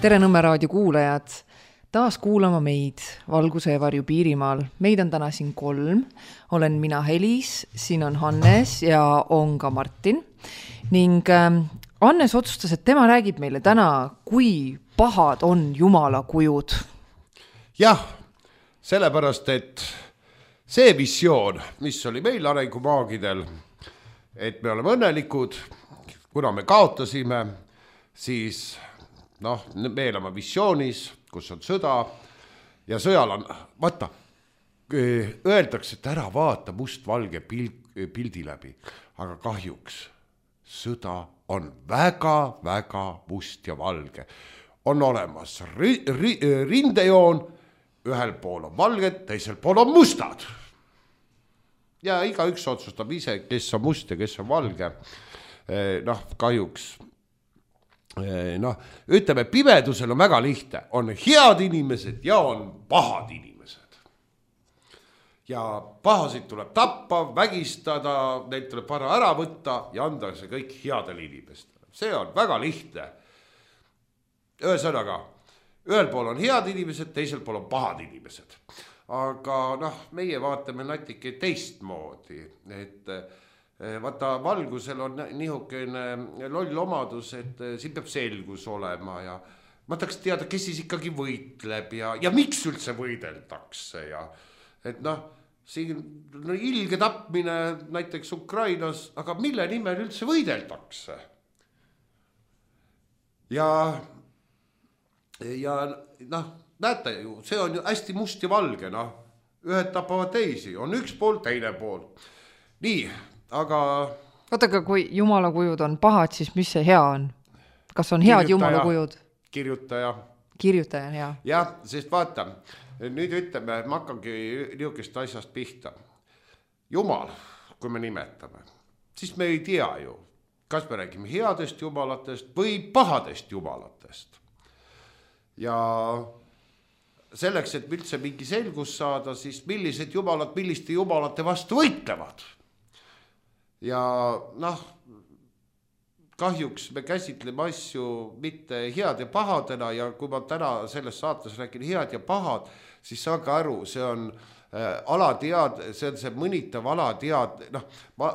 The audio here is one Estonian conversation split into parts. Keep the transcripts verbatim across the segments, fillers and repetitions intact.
Tere Nõmme raadio kuulajad, taas kuulama meid Valguse ja Varju Piirimaal. Meid on täna siin kolm, olen mina Helis, siin on Hannes ja on ka Martin. Ning äh, Hannes otsustas, et tema räägib meile täna, kui pahad on Jumala kujud. Jah, sellepärast, et see visioon, mis oli meil arengumaagidel, et me oleme õnnelikud, kuna me kaotasime, siis noh, me elame visioonis, kus on sõda ja sõjal on, vaata, öeldakse, et ära vaata must-valge pildi läbi, aga kahjuks sõda on väga-väga must ja valge. On olemas ri, ri, rindejoon, ühel pool on valged, teisel pool on mustad. Ja iga üks otsustab ise, kes on must ja kes on valge. Noh, kahjuks noh, ütleme, pimedusel on väga lihtne, on head inimesed ja on pahad inimesed. Ja pahasid tuleb tappa, vägistada, neid tuleb vara ära võtta ja anda see kõik headel inimestele. See on väga lihtne. Ühesõnaga, ühel pool on head inimesed, teisel pool on pahad inimesed. Aga noh, meie vaatame natuke teistmoodi, et vaata, valgusel on nihukene loll omadus, et siin peab selgus olema ja ma tahaks teada, kes siis ikkagi võitleb ja, ja miks üldse võideldakse ja et noh, siin no, ilge tapmine näiteks Ukrainas, aga mille nimel üldse võideldakse? Ja ja noh, näete ju, see on ju hästi must ja valge, noh, ühed tapavad teisi, on üks pool, teine pool. Nii, aga Oota, aga kui Jumala kujud on pahad, siis mis see hea on? Kas on head Jumala kujud? Kirjutaja. Kirjutaja on hea. Jah, sest vaata, nüüd ütleme, ma hakkangi niisugust asjast pihta. Jumal, kui me nimetame, siis me ei tea ju, kas me räägime headest jumalatest või pahadest jumalatest. Ja selleks, et üldse mingi selgus saada, siis millised jumalad, milliste jumalate vastu võitlevad. Ja noh, kahjuks me käsitleme asju mitte head ja pahadena ja kui ma täna selles saates räägin head ja pahad, siis saage aru, see on äh, alatead, see on see mõnitav alatead, noh, ma,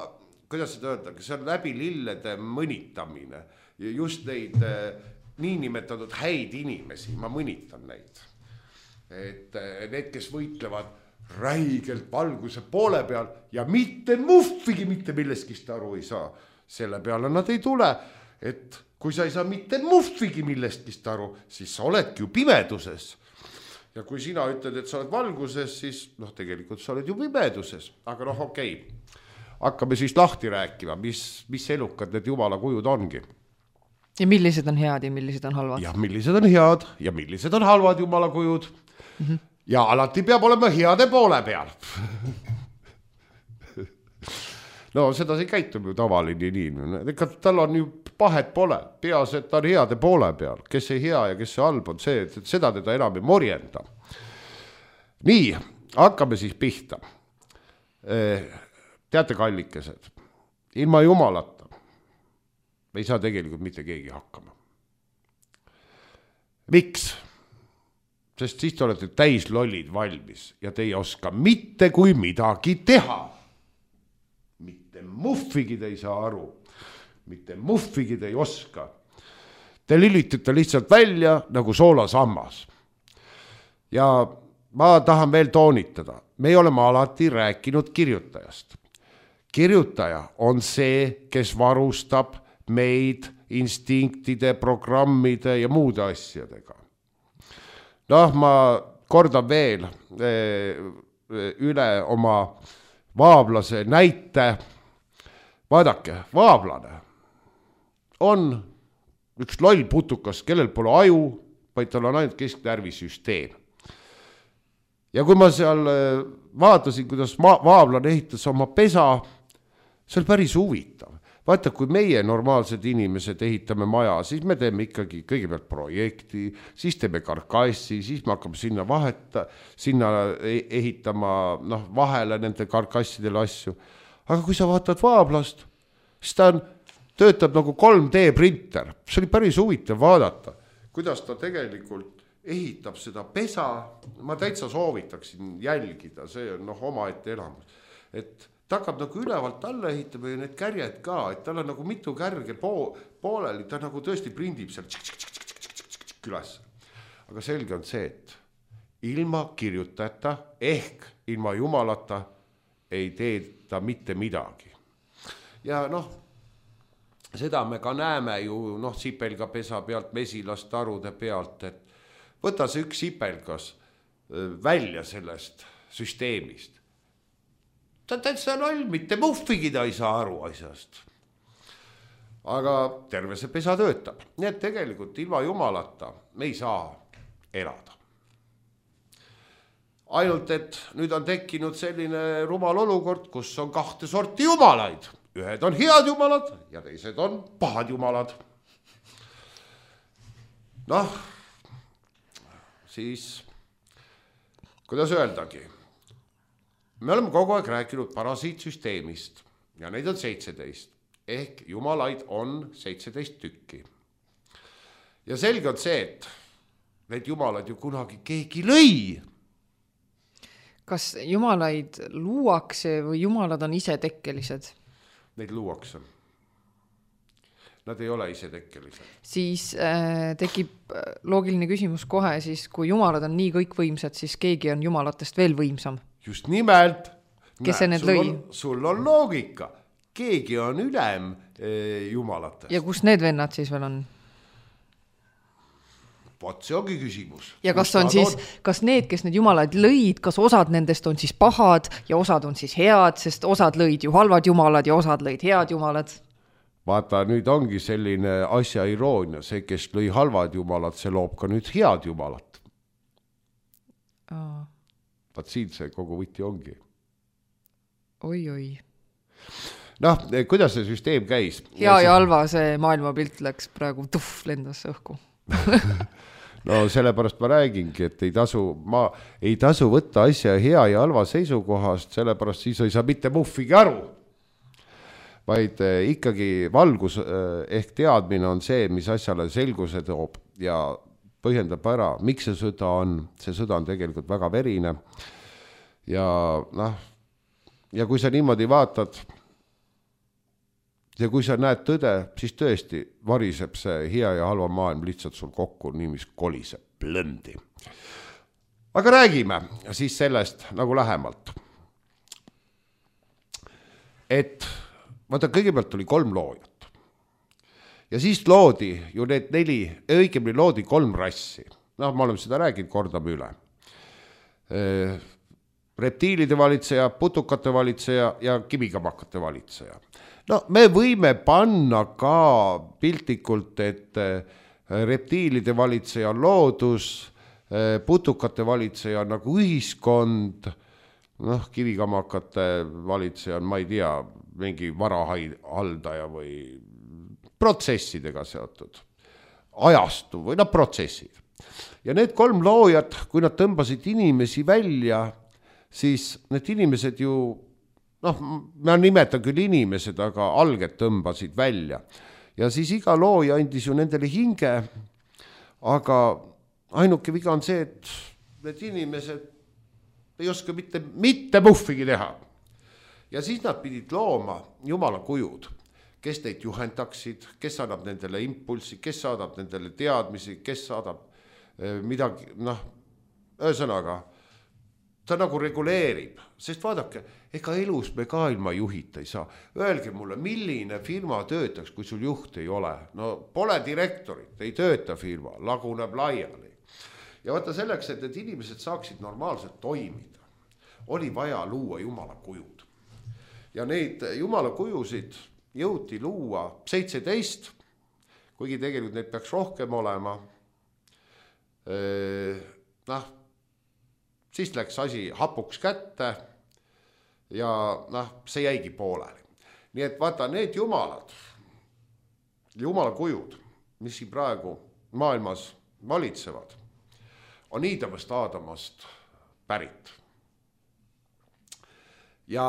kuidas seda öelda, see on läbi lillede mõnitamine ja just neid äh, niinimetatud häid inimesi, ma mõnitan neid. Et äh, need, kes võitlevad räigelt valguse poole peal ja mitte muffigi mitte millestki aru ei saa. Selle peale nad ei tule, et kui sa ei saa mitte muffigi millestki aru, siis sa oledki ju pimeduses. Ja kui sina ütled, et sa oled valguses, siis noh, tegelikult sa oled ju pimeduses. Aga noh, okei, hakkame siis lahti rääkima, mis, mis elukad need Jumala kujud ongi. Ja millised on head ja millised on halvad? Ja millised on head ja millised on halvad Jumala kujud. Mhm. Ja alati peab olema heade poole peal. No seda see käitub ju tavaline inimene. Ega tal on ju pahet pole. Peas, et ta on heade poole peal. Kes ei hea ja kes see halb on see, et seda teda enam ei morjenda. Nii, hakkame siis pihta. Teate kallikesed, ilma Jumalata ei saa tegelikult mitte keegi hakkama. Miks? Sest siis te olete täis lollid valmis ja te ei oska mitte kui midagi teha. Mitte muffigi te ei saa aru. Mitte muffigi te ei oska. Te lülitute lihtsalt välja nagu soolasammas. Ja ma tahan veel toonitada. Me oleme alati rääkinud kirjutajast. Kirjutaja on see, kes varustab meid instinktide, programmide ja muude asjadega. Noh, ma kordan veel üle oma vaablase näite. Vaadake, vaablane on üks loll putukas, kellel pole aju, vaid tal on ainult kesknärvisüsteem. Ja kui ma seal vaatasin, kuidas vaablane ehitas oma pesa, see oli päris huvitav. Vaata, kui meie normaalsed inimesed ehitame maja, siis me teeme ikkagi kõigepealt projekti, siis teeme karkassi, siis me hakkame sinna vaheta, sinna ehitama noh, vahele nende karkassidele asju. Aga kui sa vaatad vaablast, siis ta on, töötab nagu kolm D printer. See oli päris huvitav vaadata, kuidas ta tegelikult ehitab seda pesa, ma täitsa soovitaksin jälgida, see on noh omaette elamus, et ta hakkab nagu ülevalt alla ehitama ja need kärjed ka, et tal on nagu mitu kärge po- pooleli, ta nagu tõesti prindib seal üles. Aga selge on see, et ilma kirjutajata ehk ilma jumalata ei tee ta mitte midagi. Ja noh, seda me ka näeme ju noh, sipelga pesa pealt, mesilastarude pealt, et võta see üks sipelgas välja sellest süsteemist. Ta täitsa loll, mitte muhvigi ta ei saa aru asjast. Aga terve see pesa töötab. Nii et tegelikult ilma jumalata me ei saa elada. Ainult, et nüüd on tekkinud selline rumal olukord, kus on kahte sorti jumalaid. Ühed on head jumalad ja teised on pahad jumalad. Noh, siis, kuidas öeldagi, me oleme kogu aeg rääkinud parasiitsüsteemist ja neid on seitseteist, ehk jumalaid on seitseteist tükki. Ja selge on see, et need jumalad ju kunagi keegi lõi. Kas jumalaid luuakse või jumalad on ise tekkelised? Neid luuakse. Nad ei ole ise tekkelised. Siis äh, tekib loogiline küsimus kohe, siis kui jumalad on nii kõikvõimsad, siis keegi on jumalatest veel võimsam. Just nimelt. Kes see need lõi? On, sul on loogika. Keegi on ülem eh, jumalatest. Ja kus need vennad siis veel on? Vaat see ongi küsimus. Ja kas on siis, on? Kas need, kes need jumalaid lõid, kas osad nendest on siis pahad ja osad on siis head, sest osad lõid ju halvad jumalad ja osad lõid head jumalad? Vaata, nüüd ongi selline asja iroonia, see, kes lõi halvad jumalad, see loob ka nüüd head jumalat. Aa. Vaat siin see kogu võti ongi. Oi, oi. Noh, kuidas see süsteem käis? Hea ja halva see maailmapilt läks praegu tuff lendas õhku. No sellepärast ma räägingi, et ei tasu, ma ei tasu võtta asja hea ja halva seisukohast, sellepärast siis ei saa mitte muhvigi aru. Vaid ikkagi valgus ehk teadmine on see, mis asjale selguse toob ja põhjendab ära, miks see sõda on. See sõda on tegelikult väga verine. Ja, noh, ja kui sa niimoodi vaatad ja kui sa näed tõde, siis tõesti variseb see hea ja halva maailm lihtsalt sul kokku, nii mis koliseb plõndi. Aga räägime siis sellest nagu lähemalt. Et vaata, kõigepealt oli kolm loojat. Ja siis loodi ju need neli, õigemini loodi kolm rassi. Noh, ma olen seda rääginud, kordame üle. Reptiilide valitseja, putukate valitseja ja kivikamakate valitseja. No me võime panna ka piltlikult, et reptiilide valitseja on loodus, putukate valitseja on nagu ühiskond, noh, kivikamakate valitseja on, ma ei tea, mingi varahaldaja või protsessidega seotud, ajastu või noh, protsessid. Ja need kolm loojat, kui nad tõmbasid inimesi välja, siis need inimesed ju noh, ma nimetan küll inimesed, aga alged tõmbasid välja. Ja siis iga looja andis ju nendele hinge, aga ainuke viga on see, et need inimesed ei oska mitte, mitte muhvigi teha. Ja siis nad pidid looma jumala kujud, kes neid juhendaksid, kes annab nendele impulsi, kes saadab nendele teadmisi, kes saadab midagi, noh, ühesõnaga, ta nagu reguleerib, sest vaadake, ega elus me ka ilma juhita ei saa. Öelge mulle, milline firma töötaks, kui sul juht ei ole. No pole direktorit, ei tööta firma, laguneb laiali. Ja vaata selleks, et need inimesed saaksid normaalselt toimida, oli vaja luua jumala kujud. Ja neid jumala kujusid jõuti luua seitseteist, kuigi tegelikult neid peaks rohkem olema. Noh, siis läks asi hapuks kätte ja noh, see jäigi pooleli. Nii et vaata, need jumalad, jumala kujud, mis siin praegu maailmas valitsevad, on Iidamast Aadamast pärit. Ja,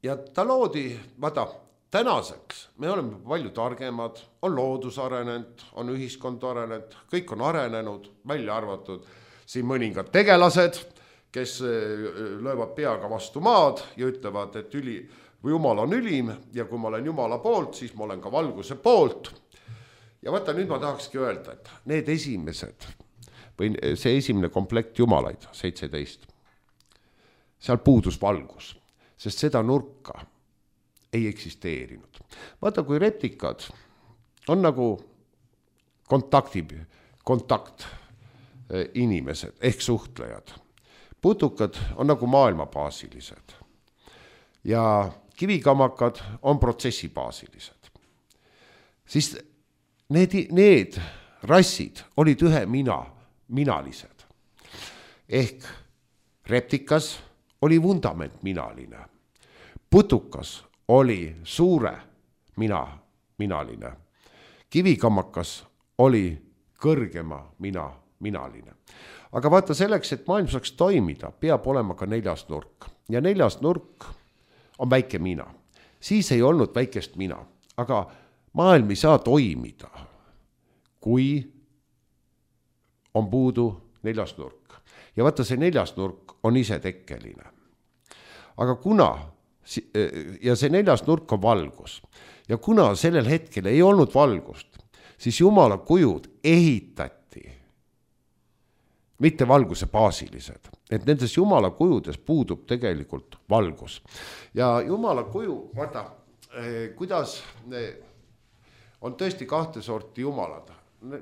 ja ta loodi, vaata, tänaseks me oleme palju targemad, on loodus arenenud, on ühiskond arenenud, kõik on arenenud, välja arvatud siin mõningad tegelased, kes löövad peaga vastu maad ja ütlevad, et üli, või Jumal on ülim ja kui ma olen Jumala poolt, siis ma olen ka valguse poolt. Ja vaata, nüüd ma tahakski öelda, et need esimesed, või see esimene komplekt jumalaid, seitseteist, seal puudus valgus, sest seda nurka ei eksisteerinud. Vaata, kui reptikad on nagu kontakti, kontakt inimesed ehk suhtlejad, putukad on nagu maailmabaasilised ja kivikamakad on protsessibaasilised. Siis need, need rassid olid ühe mina, minalised. Ehk reptikas oli vundament minaline. Putukas oli suure mina, minaline. Kivikamakas oli kõrgema mina, minaline. Aga vaata selleks, et maailm saaks toimida, peab olema ka neljas nurk. Ja neljas nurk on väike mina. Siis ei olnud väikest mina, aga maailm ei saa toimida, kui on puudu neljas nurk. Ja vaata, see neljas nurk on ise tekkeline. Aga kuna, ja see neljas nurk on valgus, ja kuna sellel hetkel ei olnud valgust, siis Jumala kujud ehitati, mitte valguse baasilised. Et nendes Jumala kujudes puudub tegelikult valgus. Ja Jumala kuju, vaata, kuidas on tõesti kahte sorti jumalad.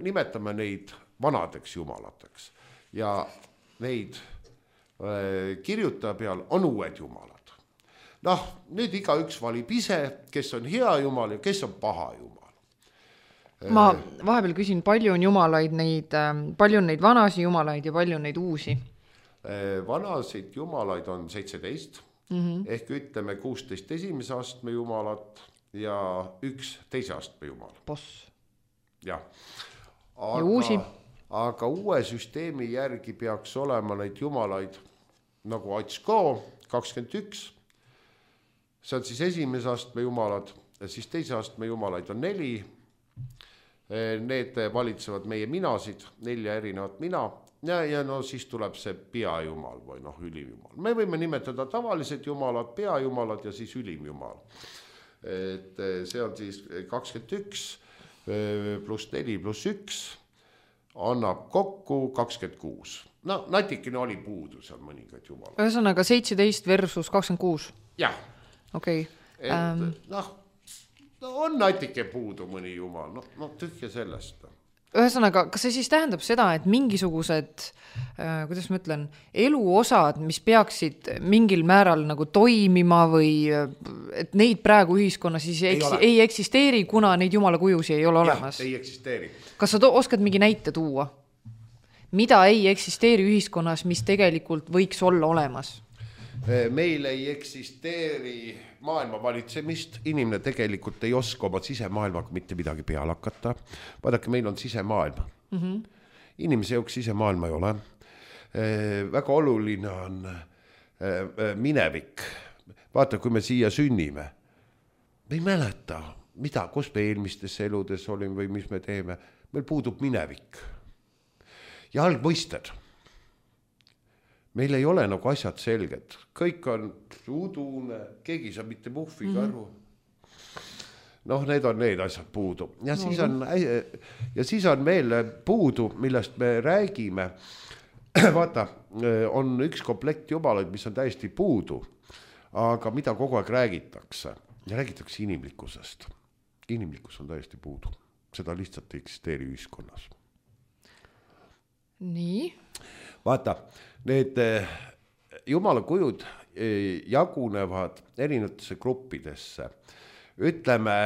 Nimetame neid vanadeks jumalateks. Ja neid kirjutaja peal on uued jumalad. Noh, nüüd iga üks valib ise, kes on hea jumal ja kes on paha jumal. Ma vahepeal küsin, palju on jumalaid neid, palju on neid vanasi jumalaid ja palju on neid uusi? Vanasid jumalaid on seitseteist, mm-hmm. ehk ütleme kuusteist esimese astme jumalat ja üks teise astme jumal. Boss. Ja. Aga, ja uusi? Aga uue süsteemi järgi peaks olema neid jumalaid nagu Atsko kakskümmend üks. See on siis esimese astme jumalad, siis teise astme jumalaid on neli. Need valitsevad meie minasid, nelja erinevat mina. Ja, ja no siis tuleb see peajumal või noh, ülimjumal. Me võime nimetada tavalised jumalad, peajumalad ja siis ülimjumal. Et see on siis kakskümmend üks pluss neli pluss üks annab kokku kakskümmend kuus. No natikene oli puudu seal mõningad jumalad. Ühesõnaga seitseteist versus kakskümmend kuus? Jah. Okei. Okay. Um... noh, on natike puudu mõni jumal, no, no tühja sellest. Ühesõnaga, kas see siis tähendab seda, et mingisugused, äh, kuidas ma ütlen, eluosad, mis peaksid mingil määral nagu toimima või et neid praegu ühiskonnas siis ei, eks, ei eksisteeri, kuna neid jumala kujusi ei ole olemas? Jah, ei eksisteeri. Kas sa to- oskad mingi näite tuua? Mida ei eksisteeri ühiskonnas, mis tegelikult võiks olla olemas? Meil ei eksisteeri maailma valitsemist, inimene tegelikult ei oska oma sisemaailmaga mitte midagi peale hakata. Vaadake, meil on sisemaailm. Mm-hmm. Inimese jaoks sisemaailma ei ole. Väga oluline on minevik. Vaata, kui me siia sünnime, me ei mäleta, mida, kus me eelmistes eludes olime või mis me teeme. Meil puudub minevik. Ja algmõisted. Meil ei ole nagu asjad selged. Kõik on udune, keegi saab mitte muhviga aru. Mm-hmm. Noh, need on need asjad puudu. Ja siis on, ja siis on veel puudu, millest me räägime. Vaata, on üks komplekt jumalaid, mis on täiesti puudu, aga mida kogu aeg räägitakse. Ja räägitakse inimlikkusest. Inimlikkus on täiesti puudu. Seda lihtsalt ei eksisteeri ühiskonnas. Nii. Vaata, need jumala kujud jagunevad erinevatesse gruppidesse. Ütleme,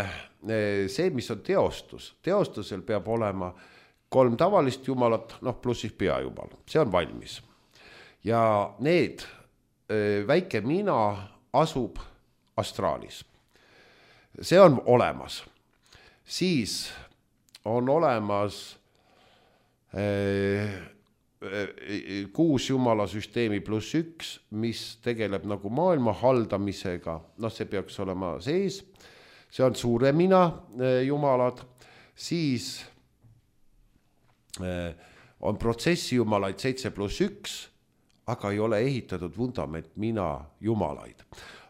see, mis on teostus. Teostusel peab olema kolm tavalist jumalat, noh, pluss siis peajumal. See on valmis. Ja need väike mina asub astraalis. See on olemas. Siis on olemas kuus jumala süsteemi pluss üks, mis tegeleb nagu maailma haldamisega, noh see peaks olema sees, see on suuremina jumalad, siis on protsessi jumalaid seitse pluss üks, aga ei ole ehitatud vundament mina jumalaid.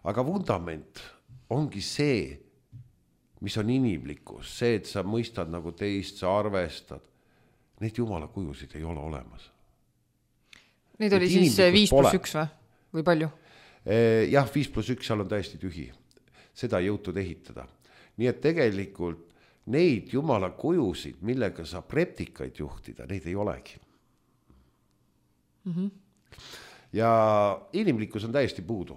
Aga vundament ongi see, mis on inimlikkus, see, et sa mõistad nagu teist, sa arvestad. Neid jumala kujusid ei ole olemas. Neid oli siis viis pluss üks või? Või palju? Jah, viis pluss üks, seal on täiesti tühi. Seda ei jõutud ehitada. Nii et tegelikult neid jumala kujusid, millega saab reptikaid juhtida, neid ei olegi. Mm-hmm. Ja inimlikkus on täiesti puudu.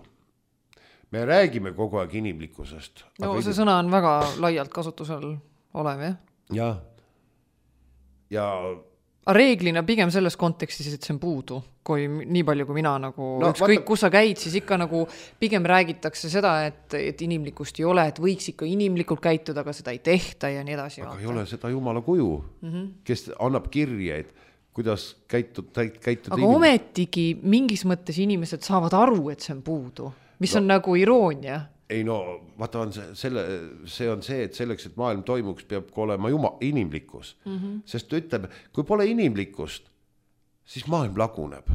Me räägime kogu aeg inimlikkusest. No see inim... sõna on väga laialt kasutusel olev, jah? Ja. Ja reeglina pigem selles kontekstis, et see on puudu, kui nii palju kui mina nagu, no, üks kõik, kus sa käid, siis ikka nagu pigem räägitakse seda, et, et inimlikkust ei ole, et võiks ikka inimlikult käituda, aga seda ei tehta ja nii edasi. Aga vaata. Ei ole seda jumala kuju, mm-hmm. kes annab kirje, et kuidas käitud, käituda aga inimene. Ometigi mingis mõttes inimesed saavad aru, et see on puudu, mis no. on nagu iroonia. Ei no, vaata on see, selle, see on see, et selleks, et maailm toimuks, peab olema juma, inimlikkus. Mm-hmm. Sest ütleb, kui pole inimlikkust, siis maailm laguneb.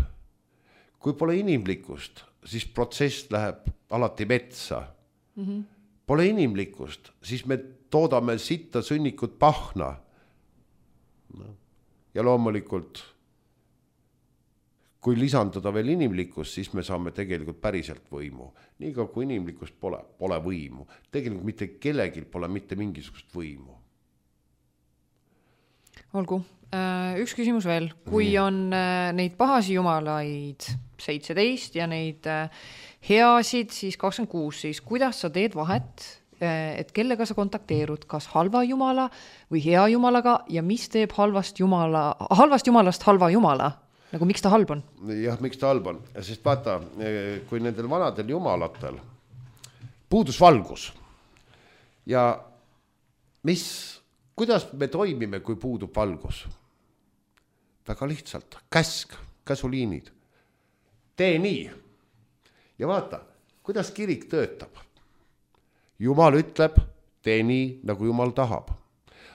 Kui pole inimlikkust, siis protsess läheb alati metsa. Mm-hmm. Pole inimlikkust, siis me toodame sitta sünnikut pahna. No. Ja loomulikult, kui lisanduda veel inimlikkus, siis me saame tegelikult päriselt võimu. Niiga kui inimlikkust pole, pole võimu. Tegelikult mitte kellegil pole mitte mingisugust võimu. Olgu, üks küsimus veel. Kui on neid pahasi jumalaid seitseteist ja neid heasid, siis kakskümmend kuus, siis kuidas sa teed vahet, et kellega sa kontakteerud, kas halva jumala või hea jumalaga ja mis teeb halvast, jumala, halvast jumalast halva jumala? Nagu miks ta halb on? Jah, miks ta halb on? Sest vaata, kui nendel vanadel jumalatel puudus valgus ja mis, kuidas me toimime, kui puudub valgus? Väga lihtsalt, käsk, käsuliinid. Tee nii. Ja vaata, kuidas kirik töötab. Jumal ütleb, tee nii, nagu Jumal tahab.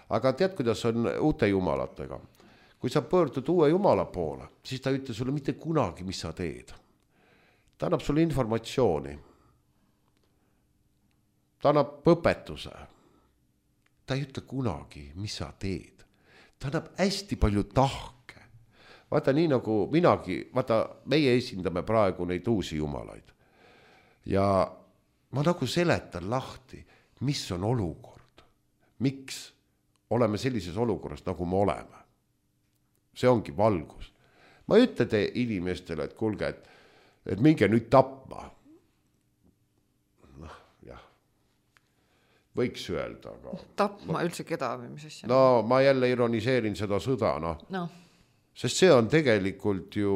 Aga tead, kuidas on uute jumalatega? Kui sa pöördud uue jumala poole, siis ta ütle sulle mitte kunagi, mis sa teed. Ta annab sulle informatsiooni. Ta annab õpetuse. Ta ei ütle kunagi, mis sa teed. Ta annab hästi palju tahke. Vaata nii nagu minagi, vaata meie esindame praegu neid uusi jumalaid. Ja ma nagu seletan lahti, mis on olukord. Miks oleme sellises olukorras, nagu me oleme. See ongi valgus. Ma ei ütle te inimestele, et kuulge, et, et minge nüüd tapma. Noh, jah. Võiks öelda. Aga tapma ma, üldse keda või mis asja? No ma jälle ironiseerin seda sõda, noh. No. Sest see on tegelikult ju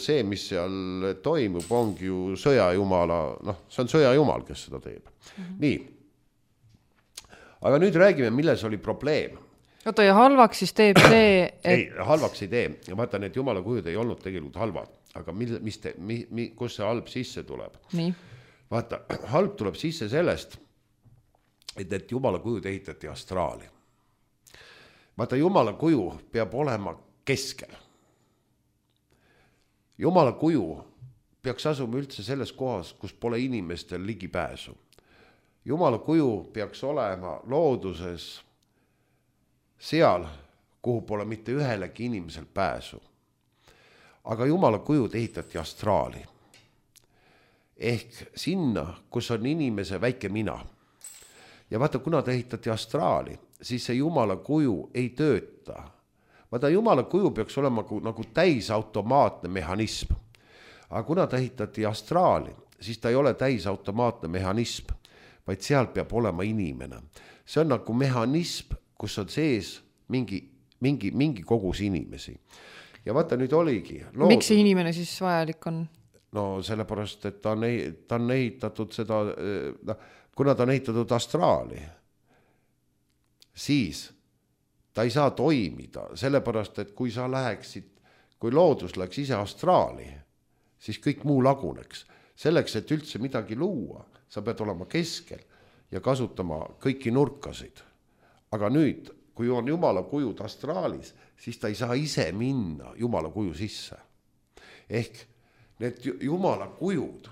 see, mis seal toimub, ongi ju sõjajumala, noh, see on sõjajumal, kes seda teeb. Mm-hmm. Nii. Aga nüüd räägime, milles oli probleem. Oota, ja halvaks siis teeb see, et... Ei, halvaks ei tee. Ja vaata, need jumala kujud ei olnud tegelikult halvad. Aga mil, mis te, mi, mi, kus see halb sisse tuleb? Nii. Vaata, halb tuleb sisse sellest, et need jumala kujud ehitati astraali. Vaata, jumala kuju peab olema keskel. Jumala kuju peaks asuma üldse selles kohas, kus pole inimestel ligipääsu. Jumala kuju peaks olema looduses seal, kuhu pole mitte ühelegi inimesel pääsu. Aga jumala kujud ehitati astraali. Ehk sinna, kus on inimese väike mina. Ja vaata, kuna ta ehitati astraali, siis see jumala kuju ei tööta. Vaata, jumala kuju peaks olema nagu täisautomaatne mehhanism. Aga kuna ta ehitati astraali, siis ta ei ole täisautomaatne mehhanism, vaid seal peab olema inimene. See on nagu mehhanism, kus on sees mingi, mingi, mingi kogus inimesi. Ja vaata, nüüd oligi. Lood... Miks see inimene siis vajalik on? No sellepärast, et ta on, ta on ehitatud seda, no, kuna ta on ehitatud astraali, siis ta ei saa toimida, sellepärast, et kui sa läheksid, kui loodus läks ise astraali, siis kõik muu laguneks. Selleks, et üldse midagi luua, sa pead olema keskel. ja kasutama kõiki nurkasid. Aga nüüd, kui on Jumala kujud astraalis, siis ta ei saa ise minna Jumala kuju sisse. Ehk need Jumala kujud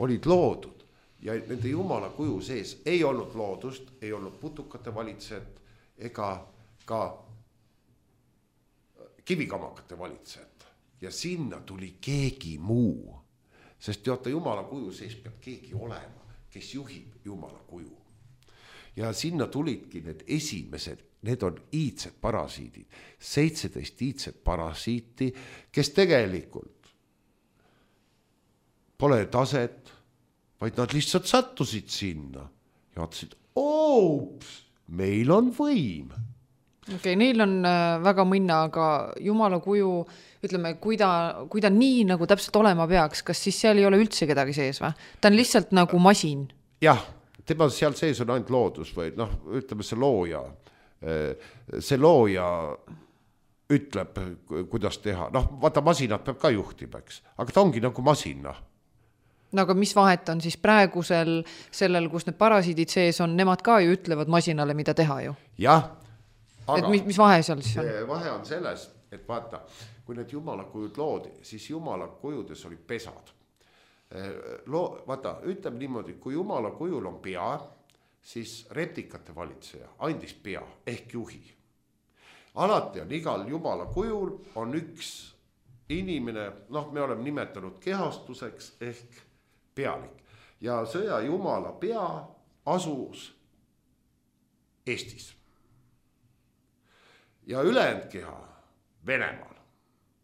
olid loodud ja nende Jumala kuju sees ei olnud loodust, ei olnud putukate valitsejat ega ka kivikamakate valitsejat. Ja sinna tuli keegi muu, sest teate, Jumala kuju sees peab keegi olema, kes juhib Jumala kuju. Ja sinna tulidki need esimesed, need on iidsed parasiidid, seitseteist iidsed parasiiti, kes tegelikult pole taset, vaid nad lihtsalt sattusid sinna ja vaatasid, oops, meil on võim. Okei, okay, neil on väga mõnna, aga Jumala kuju, ütleme, kui ta, kui ta nii nagu täpselt olema peaks, kas siis seal ei ole üldse kedagi sees või? Ta on lihtsalt nagu masin. Jah, tema seal sees on ainult loodus või noh, ütleme see looja. See looja ütleb, kuidas teha. Noh, vaata, masinat peab ka juhtimaks, aga ta ongi nagu masina. No aga mis vahet on siis praegusel sellel, kus need parasiidid sees on, nemad ka ju ütlevad masinale, mida teha ju? Jah. Aga et mis, mis vahe seal siis on? Vahe on selles, et vaata, kui need Jumala kujud loodi, siis Jumala kujudes oli pesad. Loo, vaata, ütleme niimoodi, kui Jumala kujul on pea, siis replikate valitseja andis pea ehk juhi. Alati on igal Jumala kujul on üks inimene, noh, me oleme nimetanud kehastuseks ehk pealik. Ja sõja Jumala pea asus Eestis. Ja ülejäänud keha Venemaal.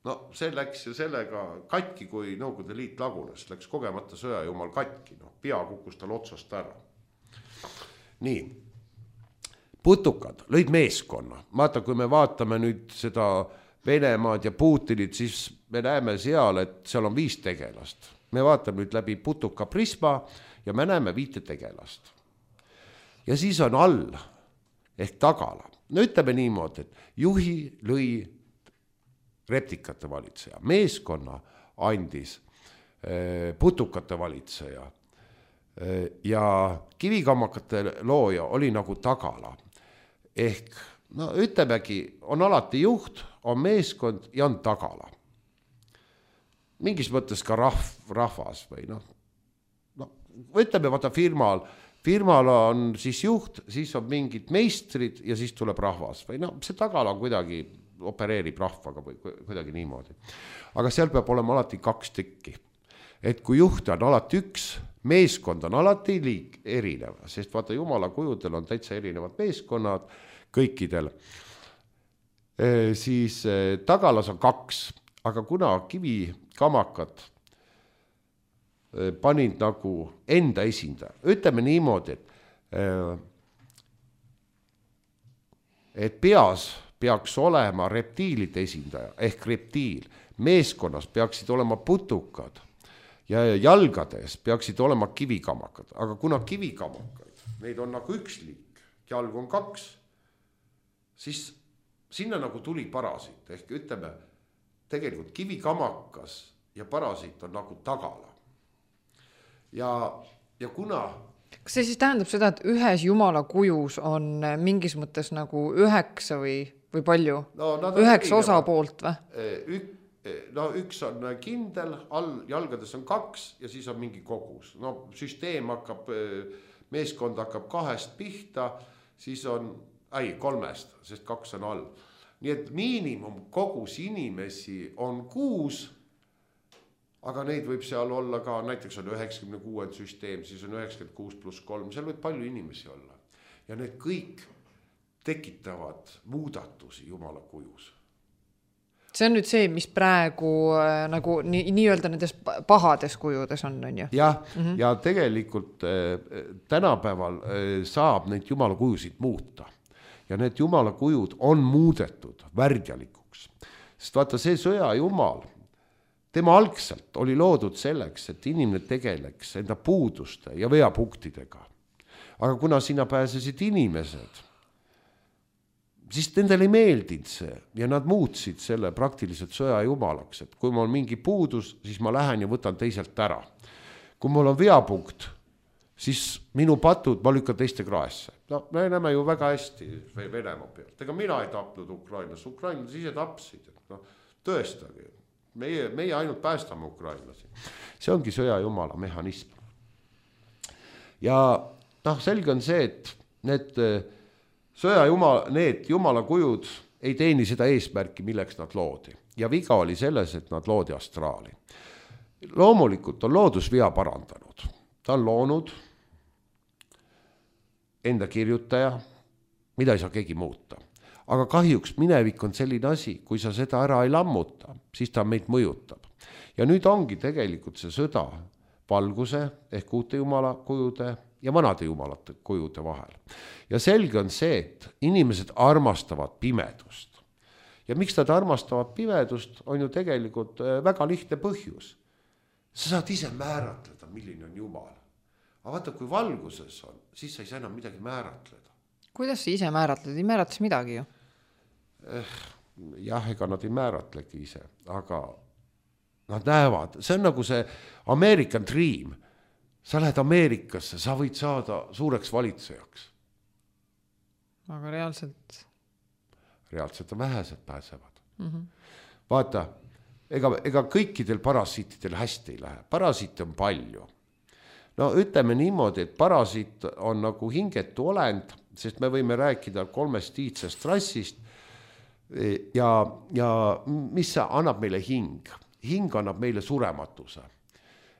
No see läks sellega katki, kui Nõukogude Liit lagunes, läks kogemata sõja Jumal katki, no pea kukkus tal otsast ära. Nii, putukad lõid meeskonna. Vaata, kui me vaatame nüüd seda Venemaad ja Putinit, siis me näeme seal, et seal on viis tegelast. Me vaatame nüüd läbi putuka prisma ja me näeme viite tegelast. Ja siis on all ehk tagala. No ütleme niimoodi, et juhi lõi replikate valitseja. Meeskonna andis putukate valitseja ja kivikammakate looja oli nagu tagala. Ehk, no ütlemegi, on alati juht, on meeskond ja on tagala. Mingis mõttes ka rahv, rahvas või noh. No, ütleme, vaata firmal, firmal on siis juht, siis on mingid meistrid ja siis tuleb rahvas. Või no, see tagala kuidagi opereerib rahvaga või kuidagi niimoodi. Aga seal peab olema alati kaks tükki. Et kui juht on alati üks, meeskond on alati liik erinev, sest vaata Jumala kujudel on täitsa erinevad meeskonnad kõikidel. E, siis e, tagalas on kaks, aga kuna kivikamakad e, panid nagu enda esindaja, ütleme niimoodi, et, e, et peas peaks olema reptiilide esindaja ehk reptiil, meeskonnas peaksid olema putukad ja jalgades peaksid olema kivikamakad, aga kuna kivikamakaid, neid on nagu üks liik, jalg on kaks, siis sinna nagu tuli parasiit, ehk ütleme, tegelikult kivikamakas ja parasiit on nagu tagala. Ja, ja kuna... Kas see siis tähendab seda, et ühes Jumala kujus on mingis mõttes nagu üheksa või, või palju? No, üheksa osa poolt või? Ük, no üks on kindel, all jalgades on kaks ja siis on mingi kogus. No süsteem hakkab, meeskond hakkab kahest pihta, siis on, ei, kolmest, sest kaks on all. Nii et miinimum kogus inimesi on kuus, aga neid võib seal olla ka, näiteks on üheksakümne kuue süsteem, siis on üheksakümmend kuus pluss kolm, seal võib palju inimesi olla. Ja need kõik tekitavad muudatusi Jumala kujus. See on nüüd see, mis praegu nagu nii, nii öelda nendes pahades kujudes on, on ju? Ja, mm-hmm. ja tegelikult äh, tänapäeval äh, saab neid Jumala kujusid muuta. Ja need Jumala kujud on muudetud värdjalikuks. Sest vaata see sõja Jumal, tema algselt oli loodud selleks, et inimene tegeleks enda puuduste ja veapunktidega. Aga kuna sinna pääsesid inimesed, siis nendel ei meeldinud see ja nad muutsid selle praktiliselt sõja Jumalaks, et kui mul on mingi puudus, siis ma lähen ja võtan teiselt ära. Kui mul on veapunkt, siis minu patud ma lükkan teiste kraesse. No me näeme ju väga hästi Venemaa pealt. Ega mina ei tapnud Ukrainas, ukrainlased ise tapsid. No, tõestage, meie, meie ainult päästame ukrainlasi. See ongi sõja jumala mehhanism. Ja noh, selge on see, et need sõja jumala, need jumala kujud ei teeni seda eesmärki, milleks nad loodi. Ja viga oli selles, et nad loodi astraali. Loomulikult on loodus via parandanud. Ta on loonud enda kirjutaja, mida ei saa keegi muuta. Aga kahjuks minevik on selline asi, kui sa seda ära ei lammuta, siis ta meid mõjutab. Ja nüüd ongi tegelikult see sõda valguse ehk uute jumala kujude ja vanade jumalate kujude vahel. Ja selge on see, et inimesed armastavad pimedust. Ja miks nad armastavad pimedust, on ju tegelikult väga lihtne põhjus. Sa saad ise määratleda, milline on jumal. Aga vaata, kui valguses on, siis sa ei saa enam midagi määratleda. Kuidas sa ise määratled? Ei määratles midagi ju. Eh, jah, ega nad ei määratlegi ise, aga nad näevad. See on nagu see American Dream. Sa lähed Ameerikasse, sa võid saada suureks valitsejaks. Aga reaalselt? Reaalselt on vähesed pääsevad. Mm-hmm. Vaata, ega, ega kõikidel parasiitidel hästi ei lähe. Parasiite on palju. No ütleme niimoodi, et parasiit on nagu hingetu olend, sest me võime rääkida kolmest iidsest rassist ja, ja mis annab meile hing? Hing annab meile surematuse.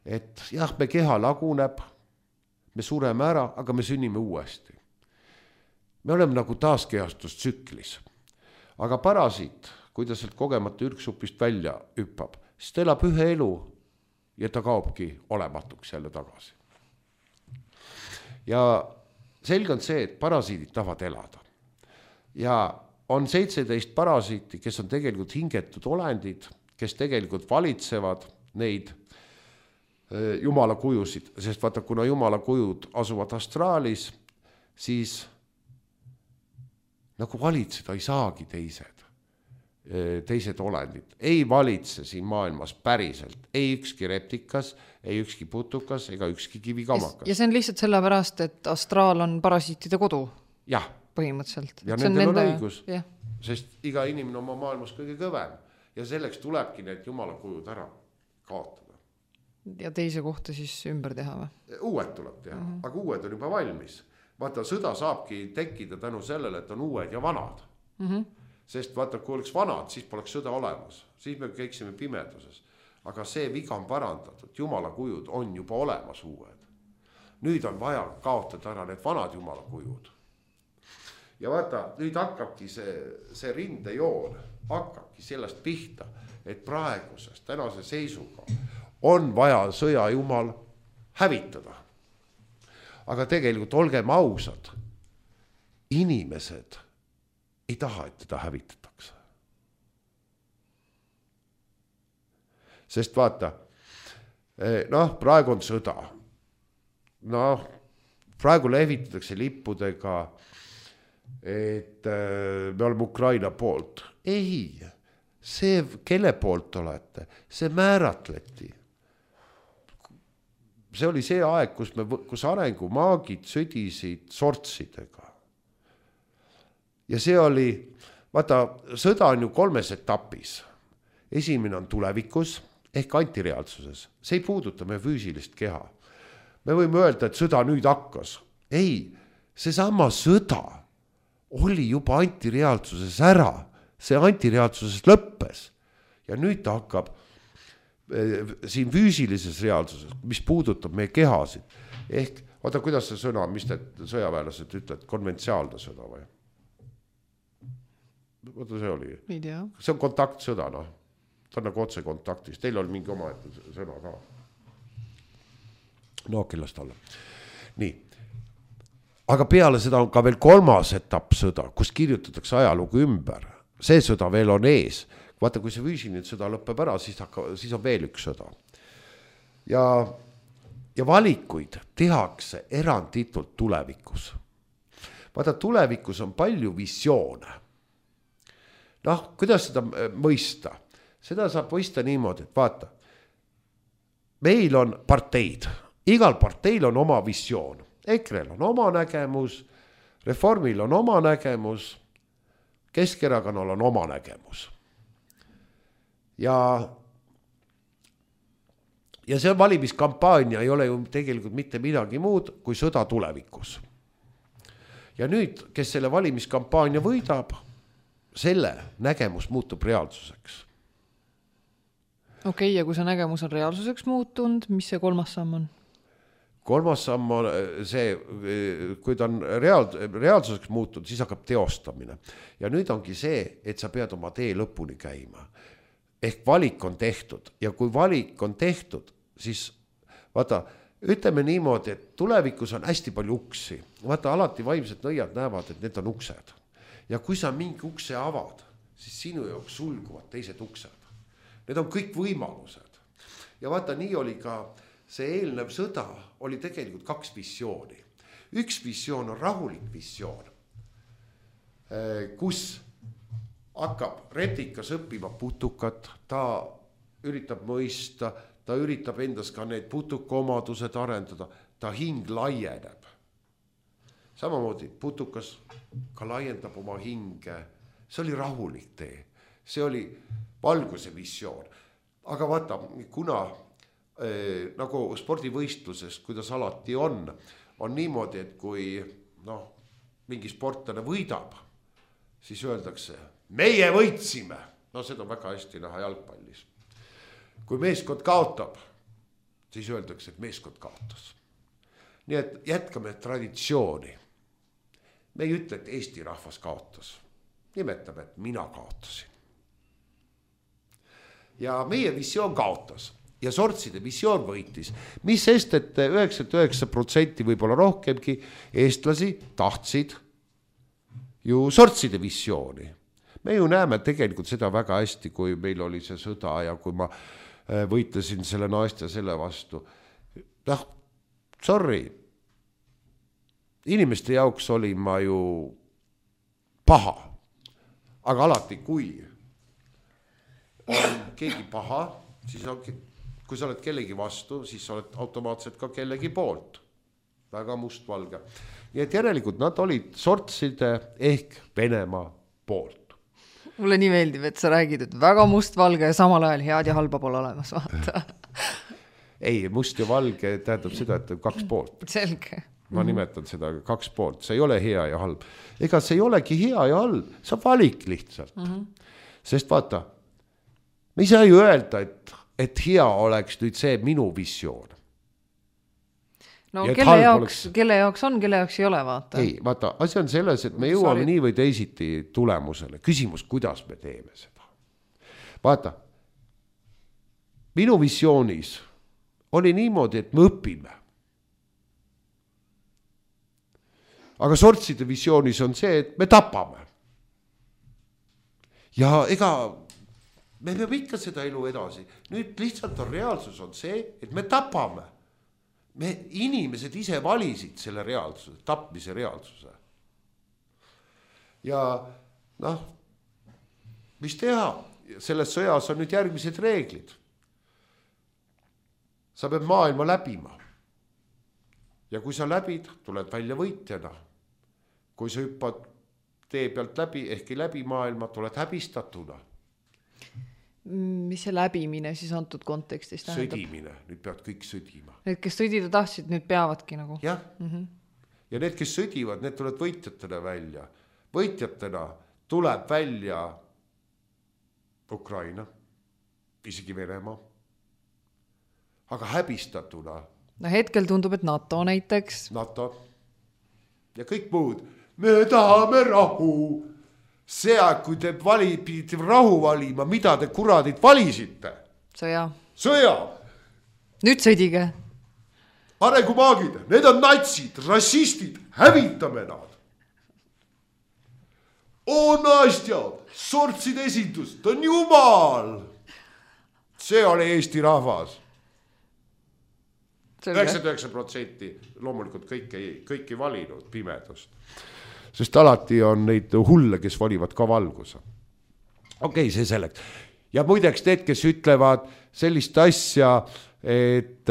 Et jah, me keha laguneb, me sureme ära, aga me sünnime uuesti. Me oleme nagu taaskeastustsüklis. Aga parasiit, kui ta sealt kogemata ürksupist välja hüppab, siis ta elab ühe elu ja ta kaobki olematuks jälle tagasi. Ja selge on see, et parasiidid tahavad elada. Ja on seitseteist parasiiti, kes on tegelikult hingetud olendid, kes tegelikult valitsevad neid jumala kujusid, sest vaata, kuna jumala kujud asuvad astraalis, siis nagu valitseda ei saagi teised, teised olendid. Ei valitse siin maailmas päriselt, ei ükski reptikas, ei ükski putukas ega ükski kivikamakas. Ja see on lihtsalt sellepärast, et astraal on parasiitide kodu. Jah. Põhimõtteliselt. Ja nendel on õigus, ja. Sest iga inimene oma maailmas kõige kõvem ja selleks tulebki need jumala kujud ära kaotada. Ja teise kohta siis ümber teha või? Uued tuleb teha, mm-hmm. aga uued on juba valmis. Vaata, sõda saabki tekkida tänu sellele, et on uued ja vanad. Mm-hmm. Sest vaata, kui oleks vanad, siis poleks sõda olemas. Siis me käiksime pimeduses. Aga see viga on parandatud. Jumala kujud on juba olemas uued. Nüüd on vaja kaotada ära need vanad jumala kujud. Ja vaata, nüüd hakkabki see, see rindejoon, hakkabki sellest pihta, et praeguses, tänase seisuga on vaja sõja jumal hävitada. Aga tegelikult olgem ausad, inimesed ei taha, et teda hävitatakse. Sest vaata, noh, praegu on sõda. Noh, praegu lehvitatakse lippudega, et me oleme Ukraina poolt. Ei, see, kelle poolt olete, see määratleti. See oli see aeg, kus, me, kus arengumaagid sõdisid sortsidega. Ja see oli, vaata, sõda on ju kolmes etapis. Esimene on tulevikus ehk antireaalsuses. See ei puuduta meie füüsilist keha. Me võime öelda, et sõda nüüd hakkas. Ei, see sama sõda oli juba antireaalsuses ära. See antireaalsuses lõppes. Ja nüüd ta hakkab siin füüsilises reaalsuses, mis puudutab meie kehasid. Ehk, vaata, kuidas see sõna, mis need sõjaväelased ütlevad, konventsiaalne sõda või? Vaata, see oli. See on kontaktsõda, noh. Ta on nagu otse kontaktis. Teil oli mingi oma sõna ka. No, kellest alla. Nii. Aga peale seda on ka veel kolmas etapp sõda, kus kirjutatakse ajalugu ümber. See sõda veel on ees. Vaata, kui see füüsiline sõda lõppeb ära, siis, hakka, siis on veel üks sõda. Ja, ja valikuid tehakse eranditult tulevikus. Vaata, tulevikus on palju visioone. Noh, kuidas seda mõista? Seda saab mõista niimoodi, et vaata, meil on parteid igal parteil on oma visioon. Ekrel on oma nägemus, Reformil on oma nägemus, Keskerakonnal on oma nägemus. Ja, ja see valimiskampaania ei ole ju tegelikult mitte midagi muud kui sõda tulevikus. Ja nüüd, kes selle valimiskampaania võidab, selle nägemus muutub reaalsuseks. Okei, okay, ja kui see nägemus on reaalsuseks muutunud, mis see kolmas samm on? Kolmas samm on see, kui ta on reaal, reaalsuseks muutunud, siis hakkab teostamine. Ja nüüd ongi see, et sa pead oma tee lõpuni käima. Ehk valik on tehtud ja kui valik on tehtud, siis vaata, ütleme niimoodi, et tulevikus on hästi palju uksi. Vaata, alati vaimsed nõiad näevad, et need on uksed. Ja kui sa mingi ukse avad, siis sinu jaoks sulguvad teised uksed. Need on kõik võimalused. Ja vaata, nii oli ka see eelnev sõda, oli tegelikult kaks visiooni. Üks visioon on rahulik visioon, kus hakkab retikas õppima putukat, ta üritab mõista, ta üritab endas ka need putukomadused arendada, ta hing laieneb. Samamoodi putukas ka laiendab oma hinge, see oli rahulik tee, see oli valguse visioon. Aga vaata, kuna eh, nagu spordivõistluses, kuidas alati on, on niimoodi, et kui no, mingi sportlane võidab, siis öeldakse, meie võitsime. No seda on väga hästi näha jalgpallis. Kui meeskond kaotab, siis öeldakse, et meeskond kaotas. Nii et jätkame traditsiooni. Me ei ütle, et Eesti rahvas kaotas. Nimetame, et mina kaotasin. Ja meie visioon kaotas ja sortside visioon võitis. Mis sest, et üheksakümmend üheksa protsenti võib-olla rohkemgi eestlasi tahtsid ju sortside visiooni. Me ju näeme tegelikult seda väga hästi, kui meil oli see sõda ja kui ma võitlesin selle naiste selle vastu. Noh, sorry. Inimeste jaoks oli ma ju paha. Aga alati, kui on keegi paha, siis on, kui sa oled kellegi vastu, siis sa oled automaatselt ka kellegi poolt. Väga mustvalge. Nii et järelikult nad olid sortside ehk Venemaa poolt. Mulle nii meeldib, et sa räägid, et väga mustvalge ja samal ajal head ja halba pole olemas, vaata. Ei, must ja valge tähendab seda, et kaks poolt. Selge. Ma nimetan seda kaks poolt, see ei ole hea ja halb. Ega see ei olegi hea ja halb, sa valik lihtsalt. Mm-hmm. Sest vaata, me ei saa ju öelda, et, et hea oleks nüüd see minu visioon. No kelle jaoks, oleks... kelle jaoks on, kelle jaoks ei ole, vaata. Ei, vaata, asi on selles, et me jõuame Sorry. nii või teisiti tulemusele. Küsimus, kuidas me teeme seda. Vaata, minu visioonis oli niimoodi, et me õpime. Aga sortside visioonis on see, et me tapame. Ja ega me peame ikka seda elu edasi. Nüüd lihtsalt on reaalsus on see, et me tapame. Me inimesed ise valisid selle reaalsuse, tapmise reaalsuse. Ja noh, mis teha? Selles sõjas on nüüd järgmised reeglid. Sa pead maailma läbima. Ja kui sa läbid, tuled välja võitjana. Kui sa hüppad tee pealt läbi, ehkki läbi maailma, tuled häbistatuna. Mis see läbimine siis antud kontekstis tähendab? Sõdimine, nüüd peavad kõik sõdima. Need, kes sõdida tahtsid, nüüd peavadki nagu. Jah, mm-hmm. Ja need, kes sõdivad, need tulevad võitjatena välja. Võitjatena tuleb välja Ukraina, isegi Venemaa. Aga häbistatuna. No hetkel tundub, et NATO näiteks. NATO. Ja kõik muud. Me tahame rahu. See, kui te vali, pidite rahu valima, mida te kuradid valisite? Sõja. Sõja. Nüüd sõdige. Arengumaagid, need on natsid, rassistid, hävitame nad. O naistjad, sortsid esindus, ta on jumal. See oli Eesti rahvas. üheksakümmend üheksa protsenti loomulikult kõik ei, kõik ei valinud pimedust. Sest alati on neid hulle, kes valivad ka valguse. Okei, okay, see selleks. Ja muideks need, kes ütlevad sellist asja, et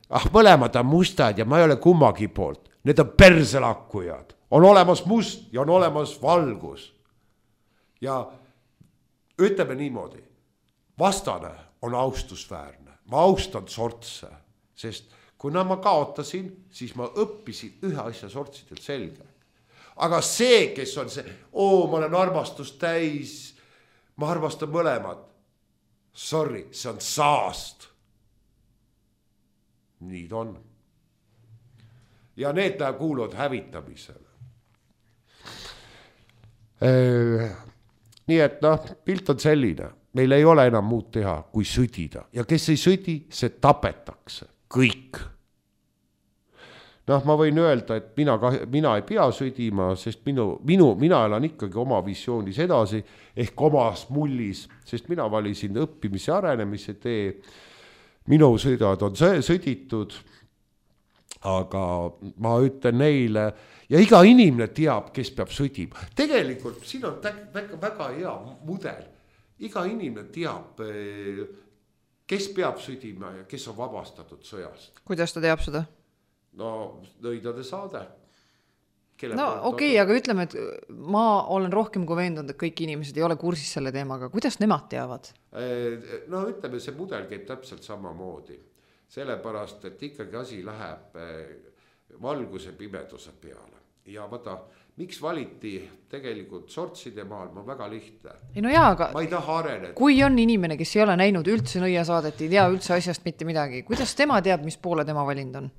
ah, mõlemad on mustad ja ma ei ole kummagi poolt. Need on perselakkujad. On olemas must ja on olemas valgus. Ja ütleme niimoodi, vastane on austusväärne. Ma austan sortse, sest kuna ma kaotasin, siis ma õppisin ühe asja sortsidelt selge. Aga see, kes on see, oo, ma olen armastust täis, ma armastan mõlemad. Sorry, see on saast. Nii ta on. Ja need kuuluvad hävitamisele. Nii et noh, pilt on selline. Meil ei ole enam muud teha, kui sõdida. Ja kes ei sõdi, see tapetakse. Kõik. Noh, ma võin öelda, et mina, mina ei pea sõdima, sest minu, minu, mina elan ikkagi oma visioonis edasi, ehk omas mullis, sest mina valisin õppimise arenemise tee. Minu sõidad on sõditud, aga ma ütlen neile, ja iga inimene teab, kes peab sõdima. Tegelikult siin on väga, väga hea mudel. Iga inimene teab, kes peab sõdima ja kes on vabastatud sõjast. Kuidas ta teab seda? No, nõidade saade. Kelle no okei, okay, aga ütleme, et ma olen rohkem kui veendunud, et kõik inimesed ei ole kursis selle teemaga. Kuidas nemad teavad? No ütleme, see mudel käib täpselt samamoodi. Sellepärast, et ikkagi asi läheb valguse pimeduse peale. Ja vaata, miks valiti tegelikult sortside maal, ma väga lihtne. Ei no jaa, aga ma ei taha areneda. Kui on inimene, kes ei ole näinud üldse nõiasaadet, ei tea üldse asjast mitte midagi, kuidas tema teab, mis poole tema valind on?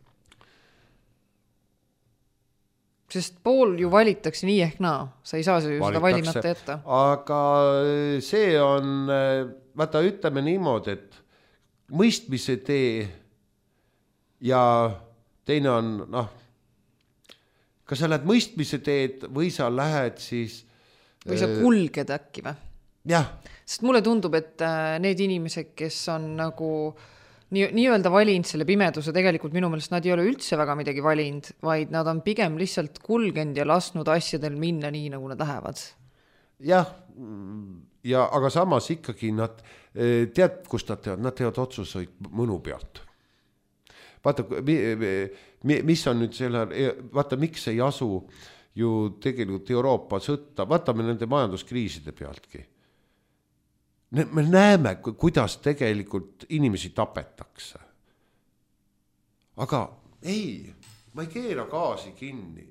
Sest pool ju valitakse nii ehk naa. Sa ei saa ju seda valimata jätta. Aga see on, vaata ütleme niimoodi, et mõistmise tee ja teine on, noh, kas sa lähed mõistmise teed või sa lähed siis või sa kulged äkki või? Jah. Sest mulle tundub, et need inimesed, kes on nagu nii, nii-öelda valinud selle pimeduse, tegelikult minu meelest nad ei ole üldse väga midagi valinud, vaid nad on pigem lihtsalt kulgenud ja lasnud asjadel minna nii, nagu nad lähevad. Jah, ja, aga samas ikkagi nad, tead, kust nad teevad? Nad teevad otsuseid mõnu pealt. Vaata, mis on nüüd selle, vaata, miks ei asu ju tegelikult Euroopa sõtta, vaatame nende majanduskriiside pealtki. Me näeme, kuidas tegelikult inimesi tapetakse. Aga ei, ma ei keera gaasi kinni.